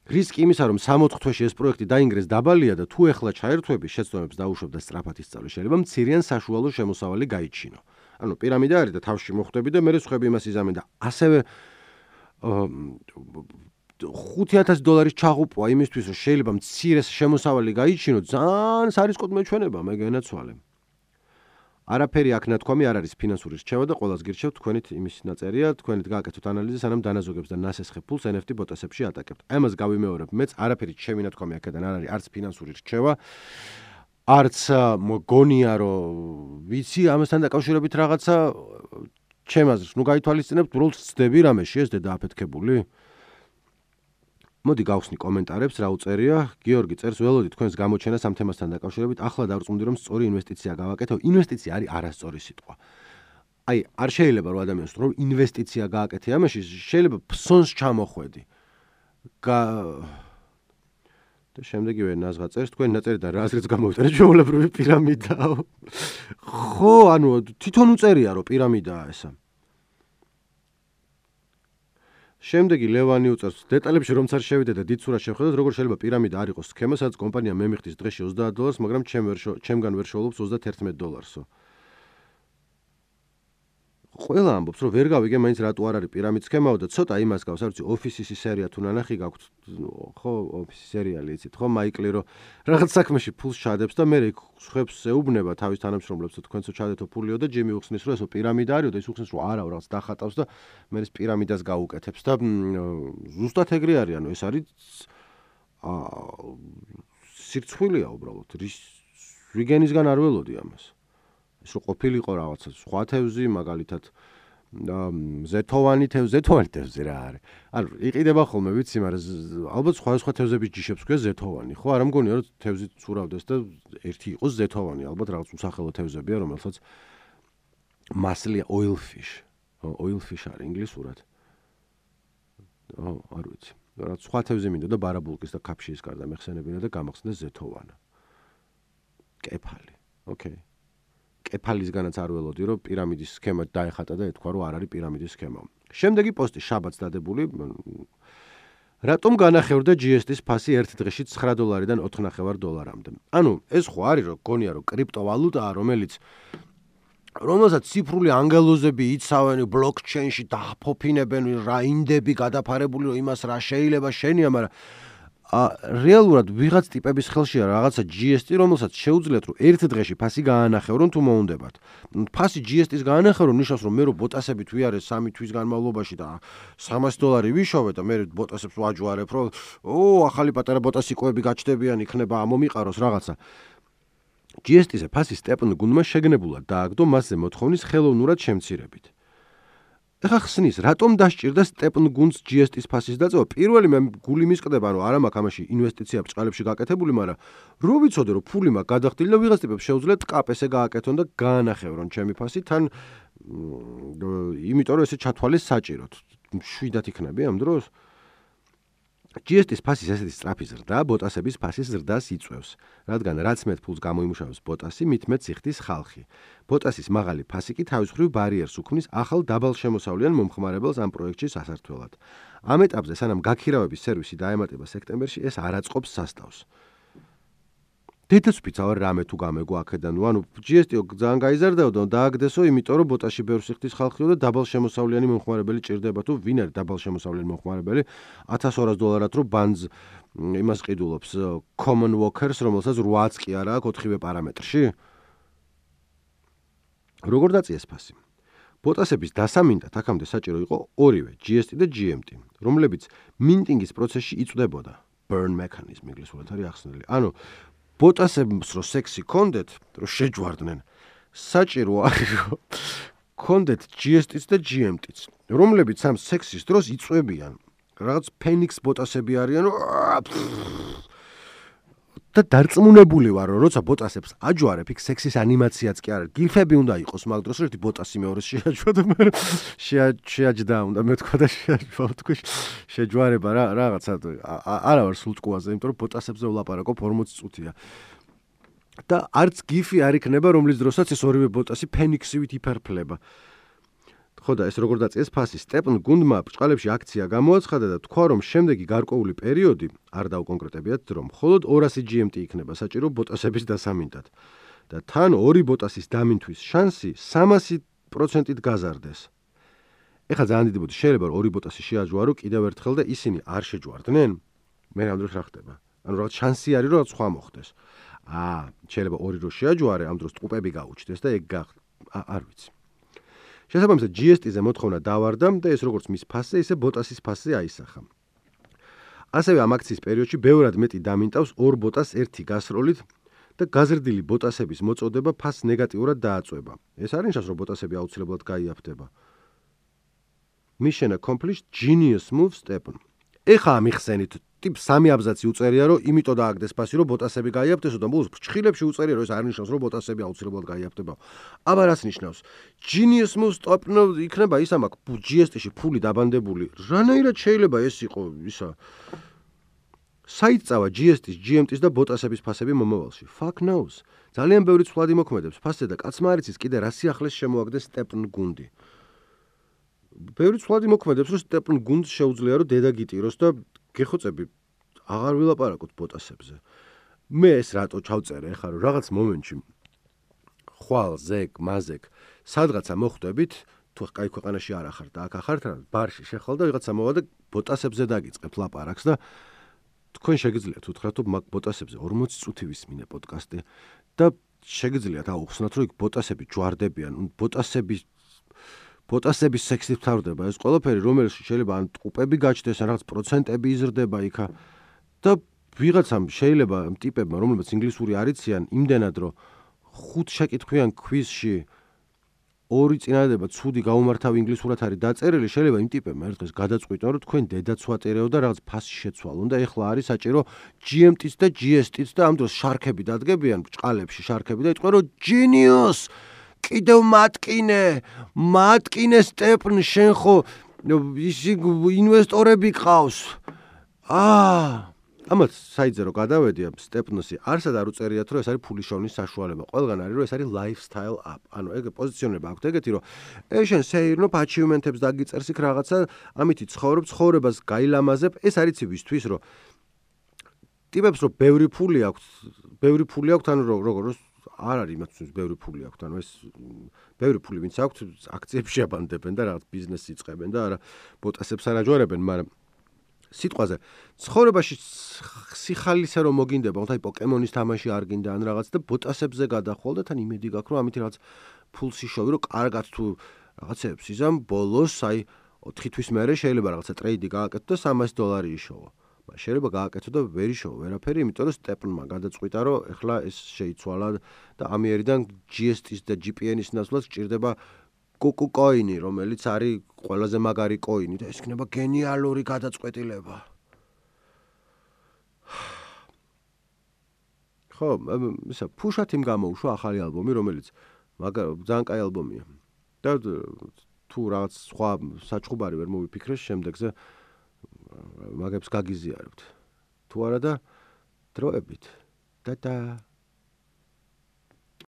რისკი იმისა, რომ სამოთხ თვეში ეს პროექტი დაინგრეს დაბალია და თუ ეხლა ჩაერთვები, შეცდომებს დაუშვებ და სწრაფად ისწავლე, შეიძლება მცირეან საშუალო შემოსავალი გაიჩინო. ანუ პირამიდა არის და თავში მოხვდები და მე სხვები იმას იზამენ და ასევე ხუთი ათასი დოლარის ჩაღუპვა იმისთვის, რომ შეიძლება მცირე შემოსავალი გაიჩინო, ძალიან სარისკოდ მეჩვენება, მე განაცვალე. არაფერი აქ ნათქვამი არ არის ფინანსური რჩევა და ყველას გირჩევთ თქვენით იმის ნაწერია, თქვენით გააკეთოთ ანალიზი, სანამ დანაზოგებს და ნასესხე ფულს ენ ეფ ტი ბოტასებში ატაკებთ. აი ამას გავიმეორებ, მეც არაფერი ჩემი ნათქვამი აქედან არ არის, არც ფინანსური რჩევა, არც მგონია, რომ ვიცი ამასთან დაკავშირებით რაღაცა ჩემ აზრს, ნუ გაითვალისწინებთ, უბრალოდ ვცდები რამეში ეს დედა აფეთქებული. მოდი გავხსნი კომენტარებს, რა უწერია. გიორგი წერს, ველოდი თქვენს გამოჩენას ამ თემასთან დაკავშირებით, ახლა დავწუნდი რომ სწორი ინვესტიცია გავაკეთო. ინვესტიცია არის არასწორი სიტყვა. აი, არ შეიძლება რომ ადამიანს რომ ინვესტიცია გააკეთე ამაში, შეიძლება ფსონს ჩამოხვედი. და შემდეგივე ნაზღა წერს, თქვენ ნაწერიდან რა აზრიც გამოვიწერეთ, ჩვეულებრივი პირამიდაა. ხო, ანუ თვითონ უწერია რომ პირამიდაა ესა. შემდეგი ლევანი უწერს, დეტალებში რომც არ შევიდე და დიდ სურათს შევხედოთ, როგორ შეიძლება პირამიდა არ იყოს სქემა, სადაც კომპანია მემიხდის დღეში ოცდაათ დოლარს, მაგრამ ჩემ ვერ ჩემგან ვერ შოულობს ოცდათერთმეტ დოლარსო. ყველა ამბობს, რომ ვერ გავიგე მაინც რატო არ არის პირამიდ სქემაო და ცოტა იმას გავს, არ ვიცი, ოფისის სერია თუ ნანახი გაქვთ, ხო, ოფისის სერიალი იცით, ხო, მაიკლი რომ რაღაც საქმეში ფულს ჩადებს და მე ხებს ეუბნება თავის თანამშრომლებს, თქვენცო ჩადეთო ფულიო და ჯიმი უხსნის, რომ ესო პირამიდა არისო და ის უხსნის, რომ არა, რაღაც დახატავს და მე ეს პირამიდას გაუკეთებს და ზუსტად ეგრე არის, ანუ ეს არის სირცხვილია უბრალოდ. რიგენისგან არ ველოდი ამას. ეს რო ყოფილიყო რაღაცა სხვა თევზი, მაგალითად ზეთოვანი თევზი, ზეთოვანი თევზი რა არის? ანუ იყიდება ხოლმე, ვიცი, მაგრამ ალბათ სხვა სხვა თევზების ჯიშებს ქვია ზეთოვანი, ხო? არ ამგონია რომ თევზი ცურავდეს და ერთი იყოს ზეთოვანი, ალბათ რაღაც უსახელო თევზებია, რომელსაც მასლია oil fish. oil fish არის ინგლისურად. ო, არ ვიცი. რა სხვა თევზი მინდა და ბარაბულკის და კაფშის გარდა მეხსენებინა და გამახსენდა ზეთოვანა. კეფალი. ოკეი. კეფალისგანაც არ ველოდი, რომ პირამიდის სქემა დაეხატა და ეთქვა, რომ არ არის პირამიდის სქემა. შემდეგი პოსტი შაბათს დადებული. რატომ განახევრდა ჯი ეს ტის ფასი ერთ დღეში ცხრა დოლარიდან ოთხ ნახევარ დოლარამდე? ანუ ეს ხო არის, რომ გონია, რომ კრიპტოვალუტაა, რომელიც რომელსაც ციფრული ანგელოზები იცავენ ბლოკჩეინში დააფოფინებენ რა ინდები გადაფარებული რომ იმას რა შეიძლება შენია, მაგრამ რეალურად ვიღაც ტიპების ხელშია რაღაცა ჯი ეს ტი, რომელსაც შეუძლიათ რომ ერთ დღეში ფასი გაანახევრონ თუ მოუნდებათ. ფასი ჯი ეს ტის გაანახევრო ნიშნავს რომ მე რო ბოტასებით ვიარე სამი თვის განმავლობაში და სამას დოლარი ვიშოვე და მე ბოტასებს ვაჯვარებ რომ ო ახალი პატარა ბოტასიკოები გაჩნდებიან იქნება მომიყაროს რაღაცა. ჯი ეს ტის-ზე ფასი სტეპენ გუნდმა შეგნებულად დააგდო მასზე მოთხოვნის ხელოვნურად შემცირებით. ეხა ხსნის, რატომ დასჭირდა სტეპენ გუნდს ჯი ეს ტის ფასის დაწევა? პირველი მე გული მისკდება, რომ არა მაქვს ამაში ინვესტიცია ბრწყალებში გაკეთებული, მაგრამ რო ვიცოდე, რომ ფული მაქვს გადახდილი და ვიღაც ტიპებს შეუძლიათ კაპესე გააკეთონ და გაანახევრონ ჩემი ფასი, თან იმიტომ რომ ესე ჩათვალეს საჭიროდ. შვიდად იქნები ამ დროს? ჯი ეს ტის ფასის ესეთი სწრაფი ზრდა ბოტასების ფასის ზრდას იწვევს, რადგან რაც მეტ ფულს გამოიმუშავებს ბოტასი, მით მეტ სიხდის ხალხი. ბოტასის მაღალი ფასი კი თავის მხრივ ბარიერს უქმნის ახალ დაბალშემოსავლიან მომხმარებელს ამ პროექტში სასართველად. ამ ეტაპზე, სანამ გაქირავების სერვისი დაემატება სექტემბერში, ეს არ აწყობს სასტავს. დედაცვით ავარ რამე თუ გამეგო აქედან, ანუ ჯი ეს ტი ძალიან გაიზარდაო და დააგდესო, იმიტომ რომ ბოტაში ბევრ სიხდის ხალხიო და დაბალშემოსავლიანი მომხმარებელი ჭირდება, თუ ვინ არის დაბალშემოსავლიანი მომხმარებელი, ათას ორას დოლარად რო ბანძ იმას ყიდულობს common workers, რომელსაც რვაც კი არა აქვს ოთხივე პარამეტრში. როგორ დაწიეს ფასი? ბოტასების დასამინდად აქამდე საჭირო იყო ორივე ჯი ეს ტი და ჯი ემ ტი, რომლებიც მინტინგის პროცესში იწვდებოდა. burn mechanism ინგლისურად არის ახსნილი. ანუ ბოტასებს რო სექსი კონდეთ, რო შეჯვარდნენ, საჭირო არის რომ კონდეთ ჯი ეს ტიც და ჯი ემ ტიც, რომლებიც ამ სექსის დროს იწვევიან. რაღაც ფენიქს ბოტასები არიან, და დარწმუნებული ვარ, რომ როცა ბოტასებს აჯვარებ, იქ სექსის ანიმაციაც კი არა, გიფები უნდა იყოს მაგ დროს, რომ ერთი ბოტასი მეორეს შეაჯვა და მე შეაჯდა უნდა მეთქვა და შეაჯვა, თქვი შეჯვარება რა რაღაცა არა ვარ სულტყუაზე, იმიტომ რომ ბოტასებზე ვლაპარაკობ ორმოცი წუთია. და არც გიფი არ იქნება, რომლის დროსაც ეს ორივე ბოტასი ფენიქსივით იფერფლება. ხო და ეს როგორ დაწიეს ფასი? სტეპენ გუნდმა ბრწყალებში აქცია გამოაცხადა და თქვა, რომ შემდეგი გარკვეული პერიოდი, არ დავკონკრეტებიათ, რომ მხოლოდ ორასი ჯი ემ ტი იქნება საჭირო ბოტასების დასამინდად. და თან ორი ბოტასის დამინთვის შანსი სამასი პროცენტით გაზარდეს. ეხლა ძალიან დიდი ბოდი შეიძლება რომ ორი ბოტასი შეაჯვარო კიდევ ერთხელ და ისინი არ შეჯვარდნენ? მე ამ დროს რა ხდება? ანუ რაღაც შანსი არის რომ სხვა მოხდეს. აა, შეიძლება ორი რო შეაჯვარე, ამ დროს ტყუპები გაუჩნდეს და ეგ არ ვიცი. შესაბამისად ჯი ეს ტი-ზე მოთხოვნა დავარდა და ეს როგორც მის ფასზე, ისე ბოტასის ფასზე აისახა. ასევე ამ აქციის პერიოდში ბევრად მეტი დამინტავს ორ ბოტას ერთი გასროლით და გაზრდილი ბოტასების მოწოდება ფასს ნეგატიურად დააწვება. ეს არ ნიშნავს, რომ ბოტასები აუცილებლად გაიაფთება. Mission accomplished, genius move step. ეხა ამიხსენით ტიპ სამი აბზაცი უწერია, რომ იმიტომ დააგდეს ფასი, რომ ბოტასები გაიაფთესო და ბოლოს ფრჩხილებში უწერია, რომ ეს არ ნიშნავს, რომ ბოტასები აუცილებლად გაიაფთება. აბა რას ნიშნავს? Genius move stop იქნება ისა მაქვს ჯი ეს ტი-ში ფული დაბანდებული. რანაირად შეიძლება ეს იყო ისა? საით წავა ჯი ეს ტის, ჯი ემ ტის და ბოტასების ფასები მომავალში? Fuck knows. ძალიან ბევრი ცვლადი მოქმედებს ფასზე და კაცმა არ იცის კიდე რა სიახლეს შემოაგდეს სტეპენ გუნდი. ბევრი ცვლადი მოქმედებს, რომ სტეპენ გუნდს შეუძლია რომ დედა გიტიროს და გეხოცები აღარ ვილაპარაკოთ ბოტასებზე. მე ეს რატო ჩავწერე ახლა რომ რაღაც მომენტში ხვალ ზეგ მაზეგ სადღაცა მოხვდებით, თუ კაი ქვეყანაში არ ახართ და აქ ახართ რა ბარში შეხვალ და ვიღაცა მოვა და ბოტასებზე დაგიწყებ ლაპარაკს და თქვენ შეგიძლიათ უთხრათ რომ მაგ ბოტასებზე ორმოცი წუთი ვისმინე პოდკასტი და შეგიძლიათ აუხსნათ რომ იქ ბოტასები ჯვარდებიან, ბოტასები ბოტასების სექსით თავდება ეს ყველაფერი, რომელიც შეიძლება ან ტყუპები გაჩნდეს, ან რაღაც პროცენტები იზრდება იქა და ვიღაცამ შეიძლება ტიპებმა, რომლებიც ინგლისური არ იციან, იმდენად რომ ხუთ შეკითხვიან ქვიზში ორი წინადადება ცუდი გაუმართავი ინგლისურად არის დაწერილი, შეიძლება იმ ტიპებმა ერთ დღეს გადაწყვიტონ, რომ თქვენ დედაც ვაწერეო და რაღაც ფასი შეცვალონ და ეხლა არის საჭირო ჯი ემ ტიც და ჯი ეს ტიც და ამ დროს შარქები დადგებიან ბჭყალებში შარქები და იტყვენ რომ genius კიდევ მატკინე, მატკინე სტეპნ შენ ხო ისი ინვესტორები ყავს. აა ამათ საიძე რომ გადავედი ამ სტეპნოსი არსად არ უწერიათ რომ ეს არის ფულის შოვნის საშუალება. ყველგან არის რომ ეს არის lifestyle app. ანუ ეგ პოზიციონება აქვს ეგეთი რომ ეს შენ სეირნოფ achievement-ებს დაგიწერს იქ რაღაცა, ამითი ცხოვრობ, ცხოვრებას გაილამაზებ. ეს არის ცივისთვის რომ ტიპებს რომ ბევრი ფული აქვს, ბევრი ფული აქვს, ანუ როგორ არ არის იმათთვის ბევრი ფული აქვს, ანუ ეს ბევრი ფული ვინც აქვს აქციებში აბანდებენ და რაღაც ბიზნესს იწყებენ და არა ბოტასებს არ აჯვარებენ, მაგრამ სიტყვაზე ცხოვრებაში სიხალისე რომ მოგინდება, თუმცა პოკემონის თამაში არ გინდა ან რაღაც და ბოტასებზე გადახვალ და თან იმედი გაქვს რომ ამით რაღაც ფულს იშოვი, რომ კარგად თუ რაღაცებს იზამ ბოლოს აი ოთხი თვის მერე შეიძლება რაღაცა ტრეიდი გააკეთო და სამასი დოლარი იშოვო. მაგრამ შეიძლება გააკეთო და ვერ იშოვო ვერაფერი, იმიტომ რომ სტეპნმა გადაწყვიტა რომ ეხლა ეს შეიცვალა და ამიერიდან ჯი ეს ტის და ჯი პი ენის ნაცვლად სჭირდება კუკუ კოინი, რომელიც არის ყველაზე მაგარი კოინი და ეს იქნება გენიალური გადაწყვეტილება. ხო, ისა ფუშათიმ გამოუშვა ახალი ალბომი, რომელიც ძალიან კაი ალბომია. და თუ რაღაც სხვა საჩხუბარი ვერ მოვიფიქრეს შემდეგზე მაგებს გაგიზიარებთ. თუ არა და დროებით. და და